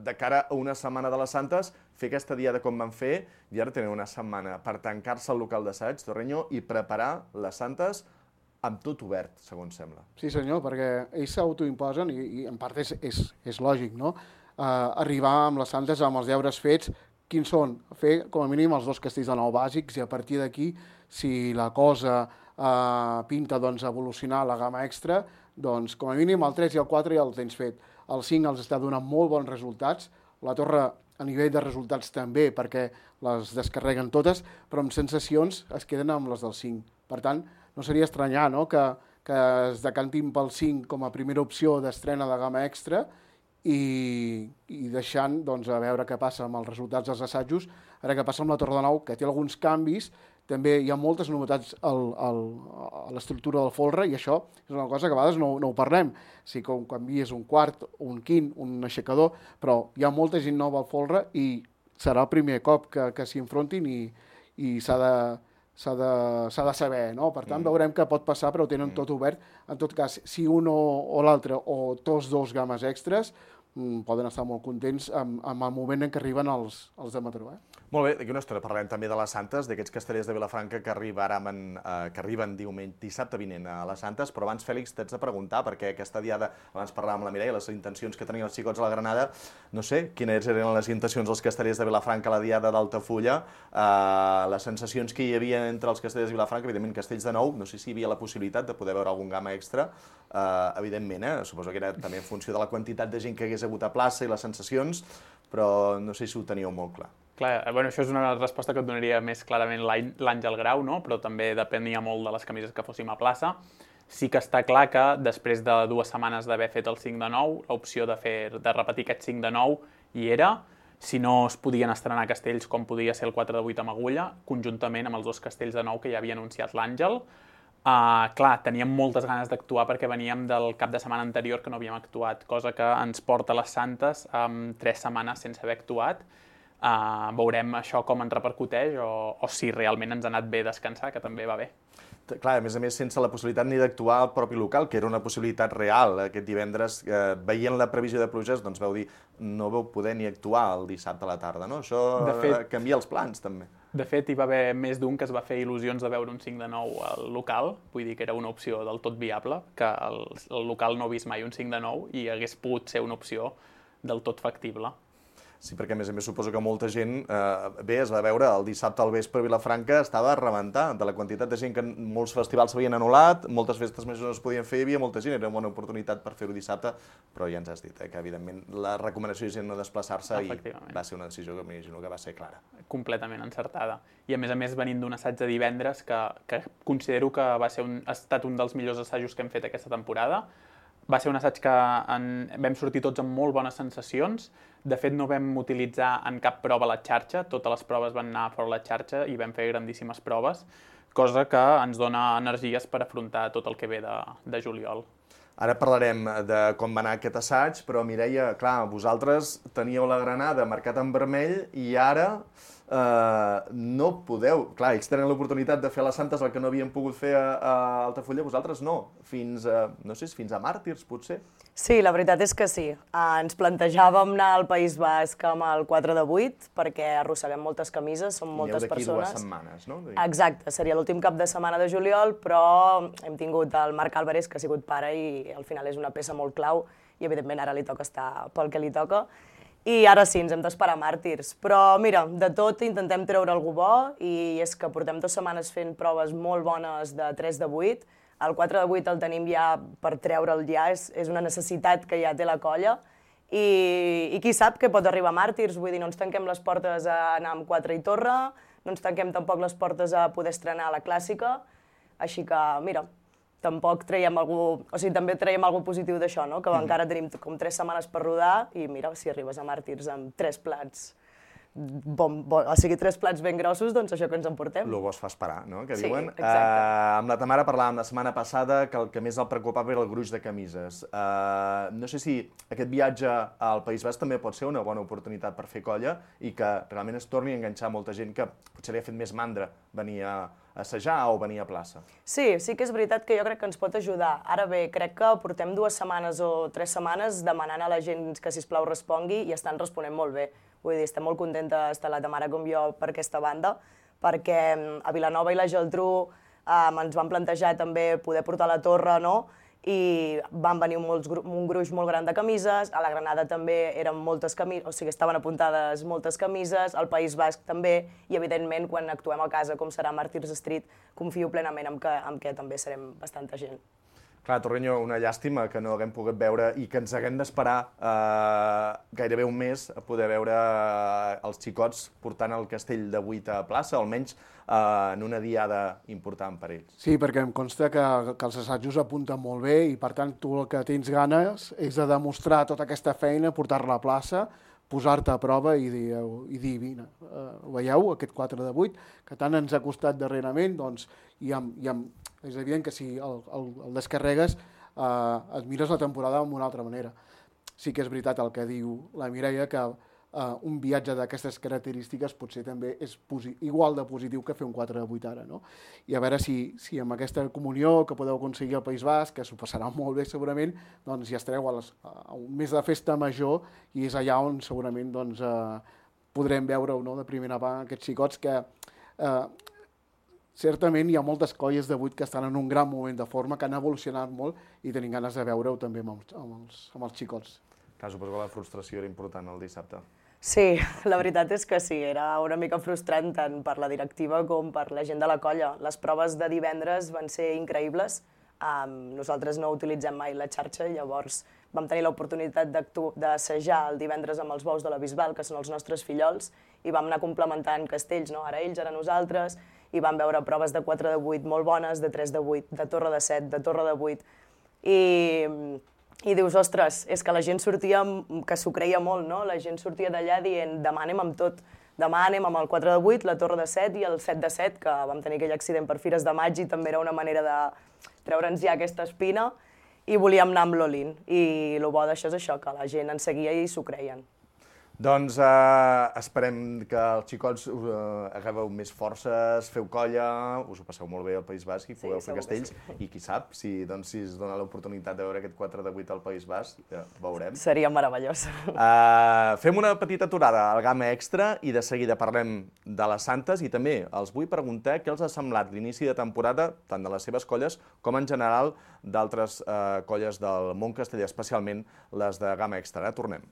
de cara a una setmana de les Santes, fer aquesta diada com van fer, i ara tenen una setmana per tancar-se al local d'assaig, Torreño, i preparar les Santes amb tot obert, segons sembla. Sí, senyor, perquè ells s'autoimposen, i, i en part és, és, és lògic, no? Uh, arribar amb les Santes, amb els deures fets, quins són? Fer, com a mínim, els dos castells de nou bàsics, i a partir d'aquí, si la cosa Uh, pinta doncs, evolucionar la gamma extra, doncs com a mínim el tres i el quatre ja el tens fet. El cinc els està donant molt bons resultats, la torre a nivell de resultats també, perquè les descarreguen totes, però amb sensacions es queden amb les del cinc. Per tant, no seria estranyar, no?, que, que es decantin pel cinc com a primera opció d'estrena de gamma extra i, i deixant doncs, a veure què passa amb els resultats dels assajos, ara què passa amb la Torre de Nou, que té alguns canvis. També hi ha moltes novetats al, al, a l'estructura del folre, i això és una cosa que a vegades no, no ho parlem. Sí que un canvies un quart, un quint, un aixecador, però hi ha molta gent nova al folre i serà el primer cop que, que s'hi enfrontin i, i s'ha de, s'ha de, s'ha de saber, no? Per tant, mm. veurem què pot passar, però ho tenen mm. tot obert. En tot cas, si un o, o l'altre, o tots dos games extres, poden estar molt contents amb, amb el moment en què arriben els, els de Mataró. Eh? Molt bé, d'aquí una estona parlem també de les Santes, d'aquests castellers de Vilafranca que, arribaran, eh, que arriben diumenge, dissabte vinent a les Santes, però abans, Fèlix, t'haig de preguntar, perquè aquesta diada, abans parlàvem amb la Mireia, les intencions que tenien els xicots a la Granada, no sé quines eren les intencions dels castellers de Vilafranca a la diada d'Altafulla, eh, les sensacions que hi havia entre els castellers de Vilafranca, evidentment Castells de Nou, no sé si hi havia la possibilitat de poder veure algun gamma extra, eh, evidentment, eh, suposo que era també en funció de la quantitat de gent que hagués hagut a plaça i les sensacions, però no sé si ho teníeu molt clar. Clar, bueno, això és una resposta que et donaria més clarament l'Àngel Grau, no? Però també depenia molt de les camises que fóssim a plaça. Sí que està clar que després de dues setmanes d'haver fet el cinc de nou, l'opció de, fer, de repetir aquest cinc de nou hi era. Si no es podien estrenar castells com podia ser el quatre de vuit amb agulla, conjuntament amb els dos castells de nou que ja havia anunciat l'Àngel. Uh, clar, teníem moltes ganes d'actuar perquè veníem del cap de setmana anterior que no havíem actuat, cosa que ens porta a les Santes amb tres setmanes sense haver actuat. Uh, veurem això com ens repercuteix o, o si realment ens ha anat bé descansar, que també va bé. Clar, a més a més, sense la possibilitat ni d'actuar al propi local, que era una possibilitat real. Aquest divendres, eh, veient la previsió de pluges, doncs veu dir, no vau poder ni actuar el dissabte a la tarda, no? Això de fet, canvia els plans, també. De fet, hi va haver més d'un que es va fer il·lusions de veure un cinc de nou al local, vull dir que era una opció del tot viable, que el, el local no ha vist mai un cinc de nou i hagués pogut ser una opció del tot factible. Sí, perquè a més a més suposo que molta gent, eh, bé, es va veure el dissabte al vespre a Vilafranca, estava a rebentar de la quantitat de gent que molts festivals s'havien anul·lat, moltes festes més no es podien fer, hi havia molta gent, era una bona oportunitat per fer-ho dissabte, però ja ens has dit eh, que evidentment la recomanació és no desplaçar-se i va ser una decisió que m'imagino que va ser clara. Completament encertada. I a més a més venint d'un assaig de divendres que, que considero que va ser un, ha estat un dels millors assajos que hem fet aquesta temporada. Va ser un assaig que en, vam sortir tots amb molt bones sensacions. De fet, no vam utilitzar en cap prova la xarxa, totes les proves van anar fora la xarxa i vam fer grandíssimes proves, cosa que ens dona energies per afrontar tot el que ve de, de juliol. Ara parlarem de com va anar aquest assaig, però Mireia, clar, vosaltres teníeu la Granada marcat en vermell i ara eh, no podeu... Clar, ells tenen l'oportunitat de fer a les Santes el que no havien pogut fer a, a Altafulla, vosaltres no, fins a, no sé, fins a Màrtirs, potser? Sí, la veritat és que sí. Ens plantejàvem anar al País Basc amb el quatre de vuit, perquè arrosseguem moltes camises, són moltes persones. I d'aquí dues setmanes, no? Exacte, seria l'últim cap de setmana de juliol, però hem tingut el Marc Álvarez, que ha sigut pare, i al final és una peça molt clau, i evidentment ara li toca estar pel que li toca. I ara sí, ens hem d'esperar Màrtirs. Però mira, de tot intentem treure algú bo, i és que portem dues setmanes fent proves molt bones de tres de vuit, el quatre de vuit el tenim ja per treure'l ja, és, és una necessitat que ja té la colla, i, i qui sap què pot arribar a Màrtirs, vull dir, no ens tanquem les portes a anar amb quatre i torre, no ens tanquem tampoc les portes a poder estrenar la clàssica, així que, mira, tampoc traiem algú, o sigui, també traiem algú positiu d'això, no? Que mm-hmm. encara tenim com tres setmanes per rodar, i mira, si arribes a Màrtirs amb tres plats bon, bon, o sigui, tres plats ben grossos, doncs això que ens emportem. Lo bo es fa esperar, no?, que Sí, diuen. exacte. Uh, amb la Tamara parlàvem la setmana passada que el que més el preocupava era el gruix de camises. Uh, no sé si aquest viatge al País Basc també pot ser una bona oportunitat per fer colla i que realment es torni a enganxar molta gent que potser li ha fet més mandra venir a assajar o venir a plaça. Sí, sí que és veritat que jo crec que ens pot ajudar. Ara bé, crec que portem dues setmanes o tres setmanes demanant a la gent que, sisplau, respongui i estan responent molt bé. Vull dir, estem molt contentes, tant la Tamara com jo, per aquesta banda, perquè a Vilanova i la Geltrú eh, ens van plantejar també poder portar la torre, no?, i van venir molts, un gruix molt gran de camises, a la Granada també eren moltes camises, o sigui, estaven apuntades moltes camises, al País Basc també, i evidentment quan actuem a casa, com serà Martyrs Street, confio plenament en que, en que també serem bastanta gent. Clar, Torreño, una llàstima que no haguem pogut veure i que ens haguem d'esperar eh, gairebé un mes a poder veure els xicots portant el castell de Buit a plaça, almenys eh, en una diada important per ells. Sí, perquè em consta que, que els assajos apunten molt bé i, per tant, tu el que tens ganes és de demostrar tota aquesta feina, portar-la a plaça, posar-te a prova i dir, i dir vine, uh, veieu, aquest quatre de vuit, que tant ens ha costat darrerament, doncs, i amb, i amb, és evident que si el, el, el descarregues, uh, et mires la temporada d'una altra manera. Sí que és veritat el que diu la Mireia, que uh, un viatge d'aquestes característiques potser també és igual de positiu que fer un quatre de vuit ara, no? I a veure si, si amb aquesta comunió que podeu aconseguir al País Basc, que s'ho passarà molt bé segurament, doncs ja estareu a, les, a un mes de festa major i és allà on segurament doncs, eh, podrem veure, no?, de primera mà aquests xicots que eh, certament hi ha moltes colles de vuit que estan en un gran moment de forma, que han evolucionat molt i tenim ganes de veure-ho també amb els, amb els, amb els xicots. Clar, suposo que la frustració era important el dissabte. Sí, la veritat és que sí, era una mica frustrant tant per la directiva com per la gent de la colla. Les proves de divendres van ser increïbles. Um, nosaltres no utilitzem mai la xarxa, llavors vam tenir l'oportunitat d'assajar el divendres amb els bous de la Bisbal, que són els nostres fillols, i vam anar complementant castells, no? Ara ells, ara nosaltres, i vam veure proves de quatre de vuit molt bones, de tres de vuit, de torre de set, de torre de vuit, i... I dius, ostres, és que la gent sortia, que s'ho creia molt, no? La gent sortia d'allà dient, demà anem amb tot. Demà anem amb el quatre de vuit, la torre de set i el set de set, que vam tenir aquell accident per Fires de Maig i també era una manera de treure'ns ja aquesta espina, i volíem anar amb l'Olin. I el bo d'això és això, que la gent en seguia i s'ho creien. Doncs eh, esperem que els xicots eh, agafeu més forces, feu colla, us ho passeu molt bé al País Basc i pugueu Sí, fer segur que castells. sí. I qui sap, si, doncs, si es dona l'oportunitat de veure aquest quatre de vuit al País Basc, ja veurem. Seria meravellós. Uh, fem una petita aturada al Gamma Extra i de seguida parlem de les Santes i també els vull preguntar què els ha semblat l'inici de temporada, tant de les seves colles com en general d'altres uh, colles del món casteller, especialment les de Gamma Extra. Ara tornem.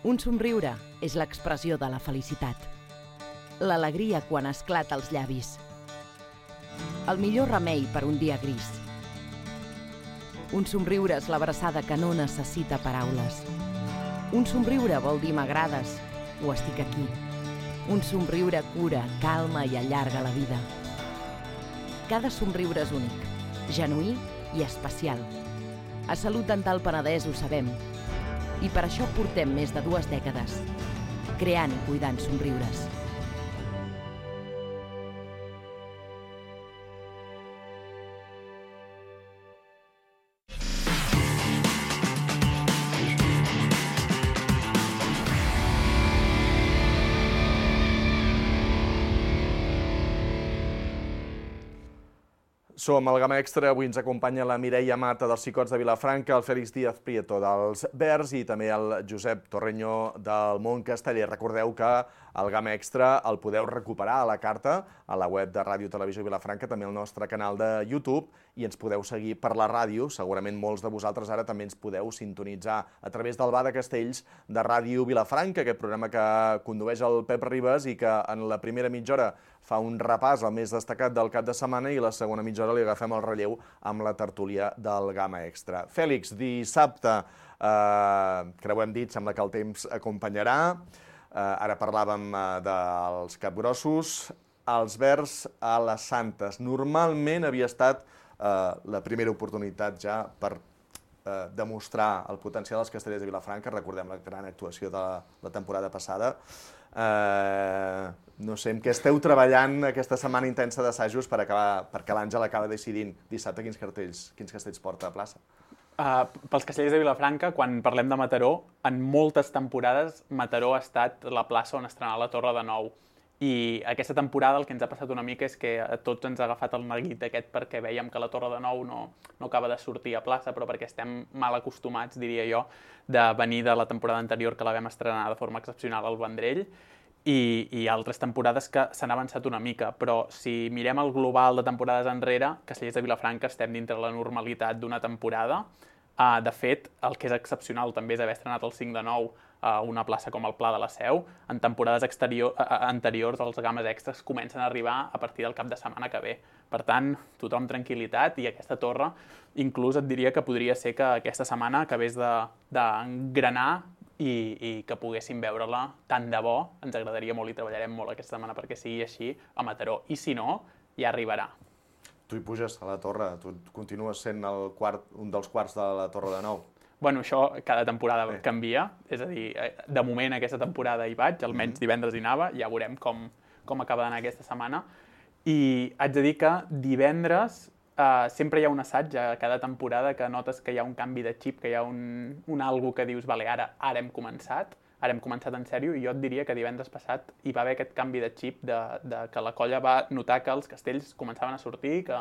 Un somriure és l'expressió de la felicitat. L'alegria quan esclata als llavis. El millor remei per un dia gris. Un somriure és l'abraçada que no necessita paraules. Un somriure vol dir m'agrades o estic aquí. Un somriure cura, calma i allarga la vida. Cada somriure és únic, genuí i especial. A Salut Dental Penedès ho sabem. I per això portem més de dues dècades, creant i cuidant somriures. Som al Gamma Extra, avui ens acompanya la Mireia Mata dels Xicots de Vilafranca, el Fèlix Díaz Prieto dels Verds i també el Josep Torreño del Món Casteller. Recordeu que el Gamma Extra el podeu recuperar a la carta, a la web de Ràdio Televisió Vilafranca, també al nostre canal de YouTube, i ens podeu seguir per la ràdio. Segurament molts de vosaltres ara també ens podeu sintonitzar a través del Bar de Castells de Ràdio Vilafranca, aquest programa que condueix el Pep Ribas i que en la primera mitja hora fa un repàs al més destacat del cap de setmana i la segona mitja hora li agafem el relleu amb la tertúlia del Gamma Extra. Fèlix, dissabte, eh, que ho hem dit, sembla que el temps acompanyarà. Ara parlàvem dels capgrossos, els verds a les Santes. Normalment havia estat la primera oportunitat ja per demostrar el potencial dels castellers de Vilafranca. Recordem la gran actuació de la temporada passada. No sé, en què esteu treballant aquesta setmana intensa d'assajos perquè l'Àngel acaba decidint dissabte quins cartells, quins castells porta a plaça? Uh, pels castellers de Vilafranca, quan parlem de Mataró, en moltes temporades Mataró ha estat la plaça on estrenar la Torre de Nou. I aquesta temporada el que ens ha passat una mica és que a tots ens ha agafat el neguit aquest perquè veiem que la Torre de Nou no, no acaba de sortir a plaça, però perquè estem mal acostumats, diria jo, de venir de la temporada anterior que la vam estrenar de forma excepcional al Vendrell, i, i altres temporades que s'han avançat una mica, però si mirem el global de temporades enrere, Castellers de Vilafranca estem dintre la normalitat d'una temporada. Uh, de fet, el que és excepcional també és haver estrenat el cinc de nou a una plaça com el Pla de la Seu. En temporades exterior, uh, anteriors els games extras comencen a arribar a partir del cap de setmana que ve. Per tant, tothom tranquil·litat, i aquesta torre inclús et diria que podria ser que aquesta setmana acabés d'engranar i, i que poguéssim veure-la tant de bo. Ens agradaria molt i treballarem molt aquesta setmana perquè sigui així a Mataró. I si no, ja arribarà. Tu hi puges a la torre, tu continues sent el quart, un dels quarts de la Torre de Nou. Bueno, això cada temporada Bé. canvia, és a dir, de moment aquesta temporada hi vaig, almenys divendres hi anava, ja veurem com, com acaba d'anar aquesta setmana. I haig de dir que divendres eh, sempre hi ha un assaig a cada temporada que notes que hi ha un canvi de xip, que hi ha un, un algo que dius, vale, ara, ara hem començat, ara hem començat en sèrio, i jo et diria que divendres passat hi va haver aquest canvi de xip de, de que la colla va notar que els castells començaven a sortir, que,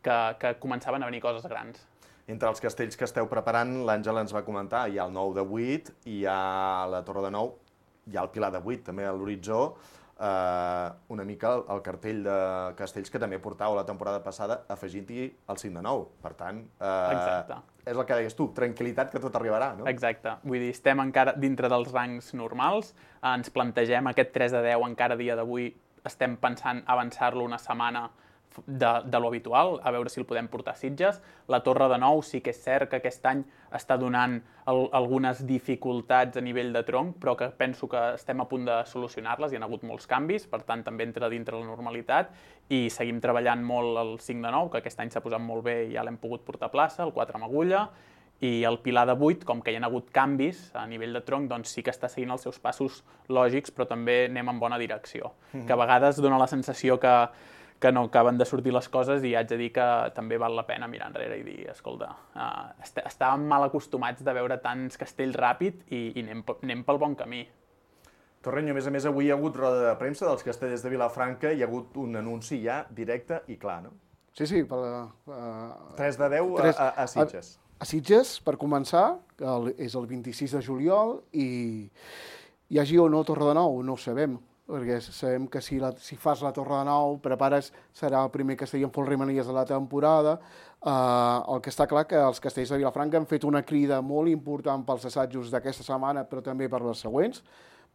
que, que començaven a venir coses grans. Entre els castells que esteu preparant, l'Àngel ens va comentar, hi ha el nou de vuit, hi ha la Torre de Nou, hi ha el Pilar de vuit, també a l'horitzó, eh, una mica el, el cartell de castells que també portàveu la temporada passada, afegint-hi el cinc de nou. Per tant, eh, és el que deies tu, tranquil·litat que tot arribarà, no? Exacte. Vull dir, estem encara dintre dels rangs normals, ens plantegem aquest tres de deu encara a dia d'avui, estem pensant avançar-lo una setmana de, de lo habitual, a veure si el podem portar a Sitges. La Torre de Nou sí que és cert que aquest any està donant el, algunes dificultats a nivell de tronc, però que penso que estem a punt de solucionar-les, hi ha hagut molts canvis, per tant també entra dintre la normalitat, i seguim treballant molt el cinc de nou, que aquest any s'ha posat molt bé i ja l'hem pogut portar a plaça, el quatre amb agulla, i el Pilar de vuit, com que hi ha hagut canvis a nivell de tronc, doncs sí que està seguint els seus passos lògics, però també anem en bona direcció, mm-hmm. que a vegades dona la sensació que que no acaben de sortir les coses, i haig de dir que també val la pena mirar enrere i dir, escolta, uh, est estàvem mal acostumats de veure tants castells ràpid i, i anem, anem pel bon camí. Torrenyo, a més a més, avui hi ha hagut roda de premsa dels castellers de Vilafranca, hi ha hagut un anunci ja directe i clar, no? Sí, sí. Per, uh, tres de deu a, a, a Sitges. A, a Sitges, per començar, el, és el vint-i-sis de juliol, i hi hagi o no Torre de Nou, no ho sabem, perquè sabem que si, la, si fas la Torre de Nou, prepares, serà el primer castell en folre-manies de la temporada. Uh, el que està clar que els castells de Vilafranca han fet una crida molt important pels assajos d'aquesta setmana, però també per les següents,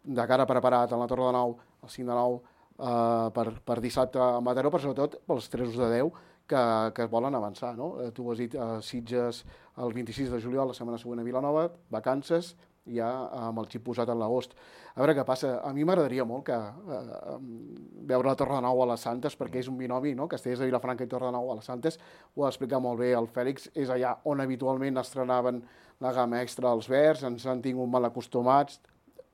de cara a preparar tant la Torre de Nou, el cinc de nou, uh, per, per dissabte a Mataró, però sobretot pels tres de deu que, que volen avançar, no? Uh, tu ho has dit, uh, Sitges el vint-i-sis de juliol, la setmana següent a Vilanova, vacances, ja amb el xip posat en l'agost. A veure què passa. A mi m'agradaria molt que eh, veure la Torre de Nou a les Santes, perquè és un binomi, no? Castellers de Vilafranca i Torre de Nou a les Santes. Ho ha explicat molt bé el Fèlix. És allà on habitualment estrenaven la gamma extra als verds, ens han tingut mal acostumats.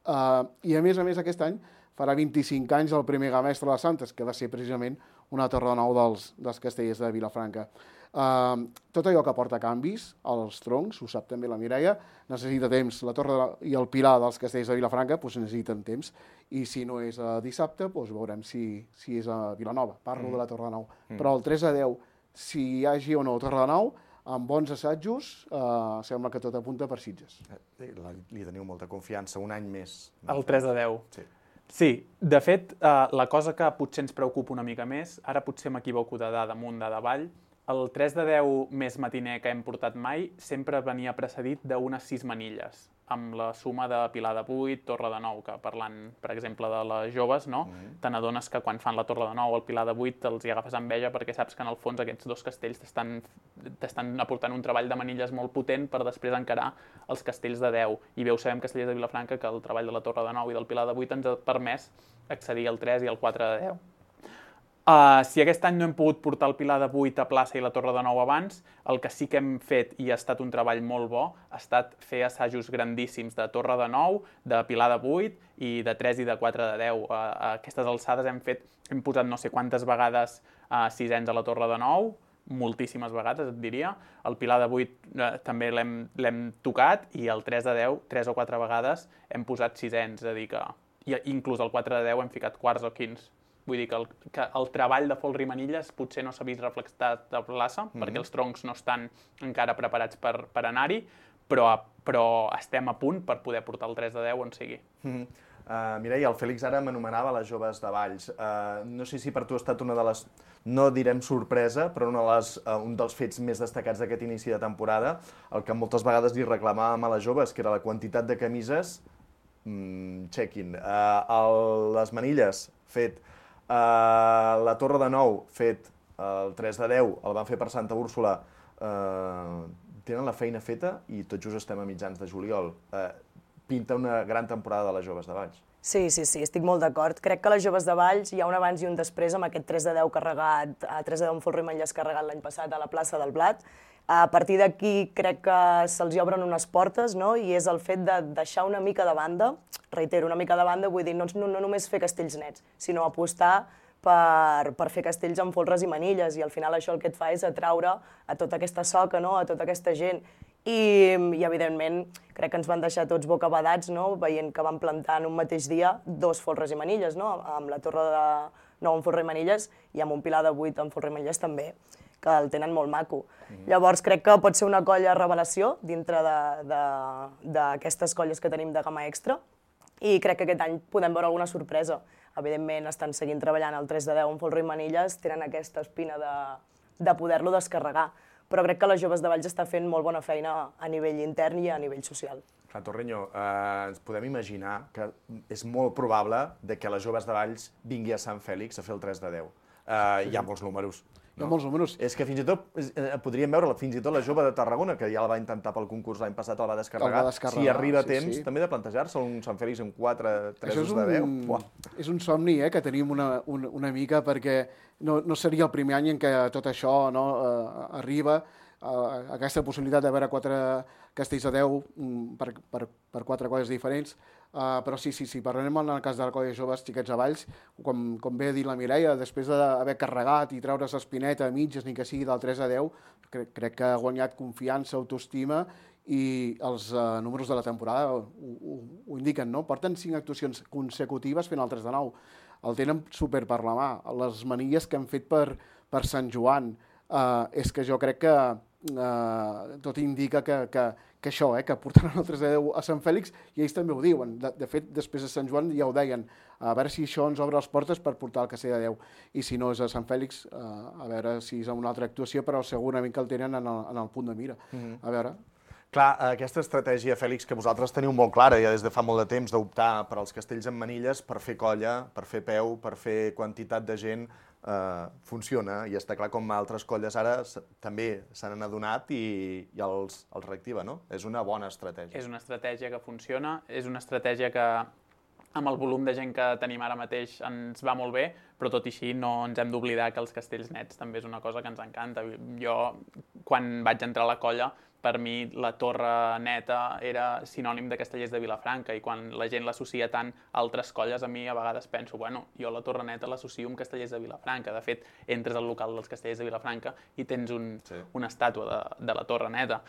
Uh, I a més a més aquest any farà vint-i-cinc anys el primer gamma extra de les Santes, que va ser precisament una Torre de Nou dels, dels castellers de Vilafranca. Uh, tot allò que porta canvis als troncs, ho sap també la Mireia, necessita temps. La Torre de, i el Pilar dels castellers de Vilafranca doncs necessiten temps, i si no és a dissabte doncs veurem si, si és a Vilanova. Parlo mm. de la Torre de Nou. Mm. Però el tres a deu, si hi hagi o no Torre de Nou, amb bons assajos, uh, sembla que tot apunta per Sitges. Eh, li teniu molta confiança, un any més. El tres a deu. Sí. Sí, de fet, uh, la cosa que potser ens preocupa una mica més, ara potser m'equivoco de dada amunt, de davall, el tres de deu més matiner que hem portat mai sempre venia precedit d'unes sis manilles. amb la suma de Pilar de Buit, Torre de Nou, que parlant, per exemple, de les joves, no? Mm. te n'adones que quan fan la Torre de Nou o el Pilar de Buit els hi agafes enveja perquè saps que en el fons aquests dos castells t'estan aportant un treball de manilles molt potent per després encarar els castells de deu. I bé ho sabem, Castellers de Vilafranca, que el treball de la Torre de Nou i del Pilar de Buit ens ha permès accedir al tres i al quatre de deu. Uh, si aquest any no hem pogut portar el Pilar de Buit a plaça i la Torre de Nou abans, el que sí que hem fet, i ha estat un treball molt bo, ha estat fer assajos grandíssims de Torre de Nou, de Pilar de Buit i de tres i de quatre de deu. Uh, a aquestes alçades hem fet, hem posat no sé quantes vegades uh, sisens a la Torre de Nou, moltíssimes vegades, et diria. El Pilar de Buit uh, també l'hem tocat i el tres de deu, tres o quatre vegades, hem posat sisens, és a dir que i inclús el quatre de deu hem ficat quarts o quins. Vull dir que el, que el treball de folre i manilles potser no s'ha vist reflectat a plaça, mm-hmm. perquè els troncs no estan encara preparats per, per anar-hi, però, però estem a punt per poder portar el tres de deu on sigui. Mm-hmm. uh, Mireia, el Fèlix ara m'anomenava les joves de Valls. Uh, no sé si per tu ha estat una de les, no direm sorpresa, però una de les, uh, un dels fets més destacats d'aquest inici de temporada, el que moltes vegades li reclamàvem a les joves, que era la quantitat de camises, mm, check-in. Uh, el, les manilles, fet. Uh, la Torre de Nou, fet el tres de deu, el van fer per Santa Úrsula, uh, tenen la feina feta i tot just estem a mitjans de juliol. Uh, pinta una gran temporada de les joves de Valls. Sí, sí, sí, estic molt d'acord. Crec que les joves de Valls hi ha un abans i un després amb aquest tres de deu carregat, a tres de deu amb folre i manilles carregat l'any passat a la plaça del Blat. A partir d'aquí crec que se'ls obren unes portes, no? I és el fet de deixar una mica de banda, reitero, una mica de banda, vull dir, no, no, no només fer castells nets, sinó apostar per, per fer castells amb folres i manilles, i al final això el que et fa és atraure a tota aquesta soca, no? A tota aquesta gent. I, i evidentment crec que ens van deixar tots bocabadats, no? Veient que van plantar en un mateix dia dos folres i manilles, no? Amb la Torre de Nou amb folre i manilles i amb un Pilar de Buit amb folre i manilles també, que el tenen molt maco. Mm. Llavors crec que pot ser una colla revelació dintre d'aquestes colles que tenim de gamma extra, i crec que aquest any podem veure alguna sorpresa. Evidentment estan seguint treballant el tres de deu amb folre i manilles, tenen aquesta espina de, de poder-lo descarregar, però crec que les joves de Valls està fent molt bona feina a nivell intern i a nivell social. Clar, Torreño, eh, ens podem imaginar que és molt probable de que les joves de Valls vingui a Sant Fèlix a fer el tres de deu. Eh, hi ha molts números. Hi ha molts números. És que fins i tot eh, podríem veure fins i tot la jove de Tarragona, que ja la va intentar pel concurs l'any passat, el va descarregar. El va descarregar, si arriba a sí, temps, sí. també de plantejar-se un Sant Fèlix amb quatre, tres de deu. Buah. És un somni eh, que tenim una, una, una mica, perquè no, no seria el primer any en què tot això no, uh, arriba, uh, aquesta possibilitat de veure quatre castells de deu um, per, per, per quatre colles diferents. Uh, però sí, sí, sí, parlarem en el cas de la colla joves xiquets a Valls, com, com bé ha dit la Mireia, després d'haver carregat i treure's l'espineta a mitges, ni que sigui del tres a deu, crec, crec que ha guanyat confiança, autoestima, i els uh, números de la temporada ho, ho, ho indiquen, no? Porten cinc actuacions consecutives fent el tres de nou. El tenen super per la mà. Les manilles que han fet per, per Sant Joan, uh, és que jo crec que uh, tot indica que, que, que això, eh, que portaran el tres de deu a Sant Fèlix, i ells també ho diuen. De, de fet, després de Sant Joan ja ho deien, a veure si això ens obre les portes per portar el castell de deu. I si no és a Sant Fèlix, uh, a veure si és una altra actuació, però segurament que el tenen en el, en el punt de mira. Mm-hmm. A veure... Clar, aquesta estratègia, Fèlix, que vosaltres teniu molt clara ja des de fa molt de temps, d'optar per als castells amb manilles, per fer colla, per fer peu, per fer quantitat de gent, eh, funciona, i està clar com altres colles ara també se n'han adonat i, i els, els reactiva, no? És una bona estratègia. És una estratègia que funciona, és una estratègia que amb el volum de gent que tenim ara mateix ens va molt bé, però tot i així no ens hem d'oblidar que els castells nets també és una cosa que ens encanta. Jo, quan vaig entrar a la colla, per mi la torre neta era sinònim de Castellers de Vilafranca, i quan la gent l'associa tant a altres colles, a mi a vegades penso, bueno, jo la torre neta l'associo amb Castellers de Vilafranca. De fet, entres al local dels Castellers de Vilafranca i tens un, sí. una estàtua de, de la torre neta.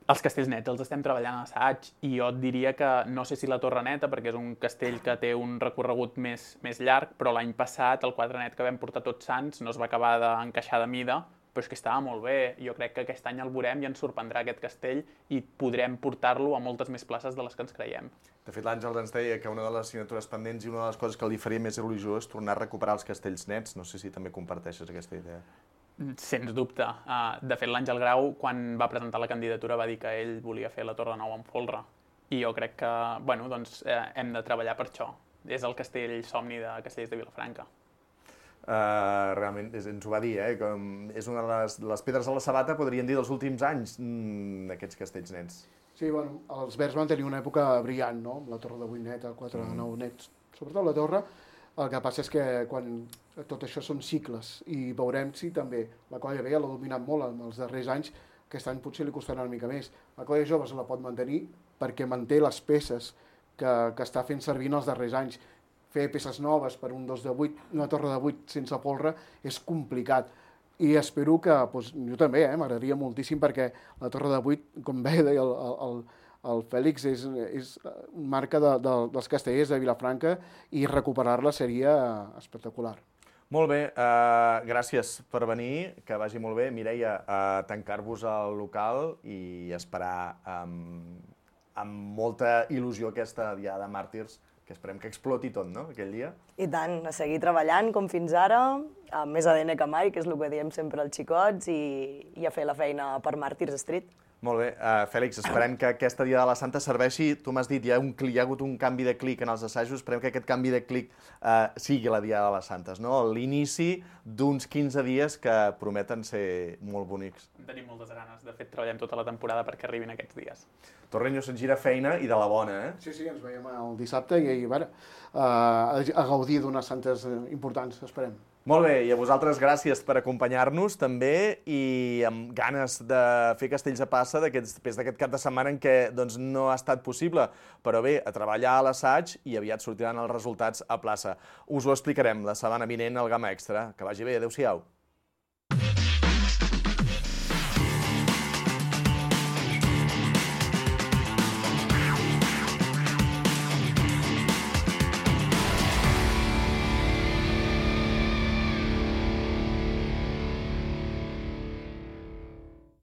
Els castells nets els estem treballant a assaig, i jo et diria que no sé si la torre neta, perquè és un castell que té un recorregut més, més llarg, però l'any passat el quadre net que vam portar Tots Sants no es va acabar d'encaixar de mida, però és que estava molt bé. Jo crec que aquest any el veurem i ens sorprendrà aquest castell i podrem portar-lo a moltes més places de les que ens creiem. De fet, l'Àngel ens deia que una de les signatures pendents i una de les coses que li faria més il·lusió és tornar a recuperar els castells nets. No sé si també comparteixes aquesta idea. Sens dubte. De fet, l'Àngel Grau, quan va presentar la candidatura, va dir que ell volia fer la Torre Nou amb folre. i jo crec que bueno, doncs, eh, hem de treballar per això. És el castell somni de Castellers de Vilafranca. Uh, realment, ens ho va dir, eh? Com és una de les, les pedres a la sabata, podríem dir, dels últims anys, mm, aquests castells nets. Sí, bueno, els Verds van tenir una època brillant, no?, amb la torre de vuit net, el quatre de nou nets. Sobretot la torre, el que passa és que quan tot això són cicles, i veurem si també la colla vella l'ha dominat molt en els darrers anys, aquest any potser li costarà una mica més. La colla jove se la pot mantenir perquè manté les peces que, que està fent servir en els darrers anys. Fer peces noves per un dos de vuit, una torre de vuit sense polre, és complicat. I espero que, doncs, jo també, eh, m'agradaria moltíssim, perquè la torre de vuit, com bé deia el, el, el Fèlix, és, és marca de, de, dels castellers de Vilafranca i recuperar-la seria espectacular. Molt bé, uh, gràcies per venir, que vagi molt bé. Mireia, uh, tancar-vos al local i esperar amb, amb molta il·lusió aquesta Diada de Màrtirs, que esperem que exploti tot, no?, aquell dia. I tant, a seguir treballant com fins ara, amb més A D N que mai, que és el que diem sempre als xicots, i, i a fer la feina per Màrtirs Street. Molt bé. Uh, Fèlix, esperem que aquesta Dia de la Santa serveixi. Tu m'has dit, hi ha, un, hi ha hagut un canvi de clic en els assajos, esperem que aquest canvi de clic uh, sigui la Dia de les Santes, no? L'inici d'uns quinze dies que prometen ser molt bonics. Tenim moltes ganes. De fet, treballem tota la temporada perquè arribin aquests dies. Torreño se'n gira feina i de la bona, eh? Sí, sí, ens veiem el dissabte i, i bueno, uh, a gaudir d'unes santes importants, esperem. Molt bé, i a vosaltres gràcies per acompanyar-nos també i amb ganes de fer castells a passa després d'aquest cap de setmana en què doncs, no ha estat possible. Però bé, a treballar a l'assaig i aviat sortiran els resultats a plaça. Us ho explicarem la setmana vinent al Gamma Extra. Que vagi bé, adeu-siau.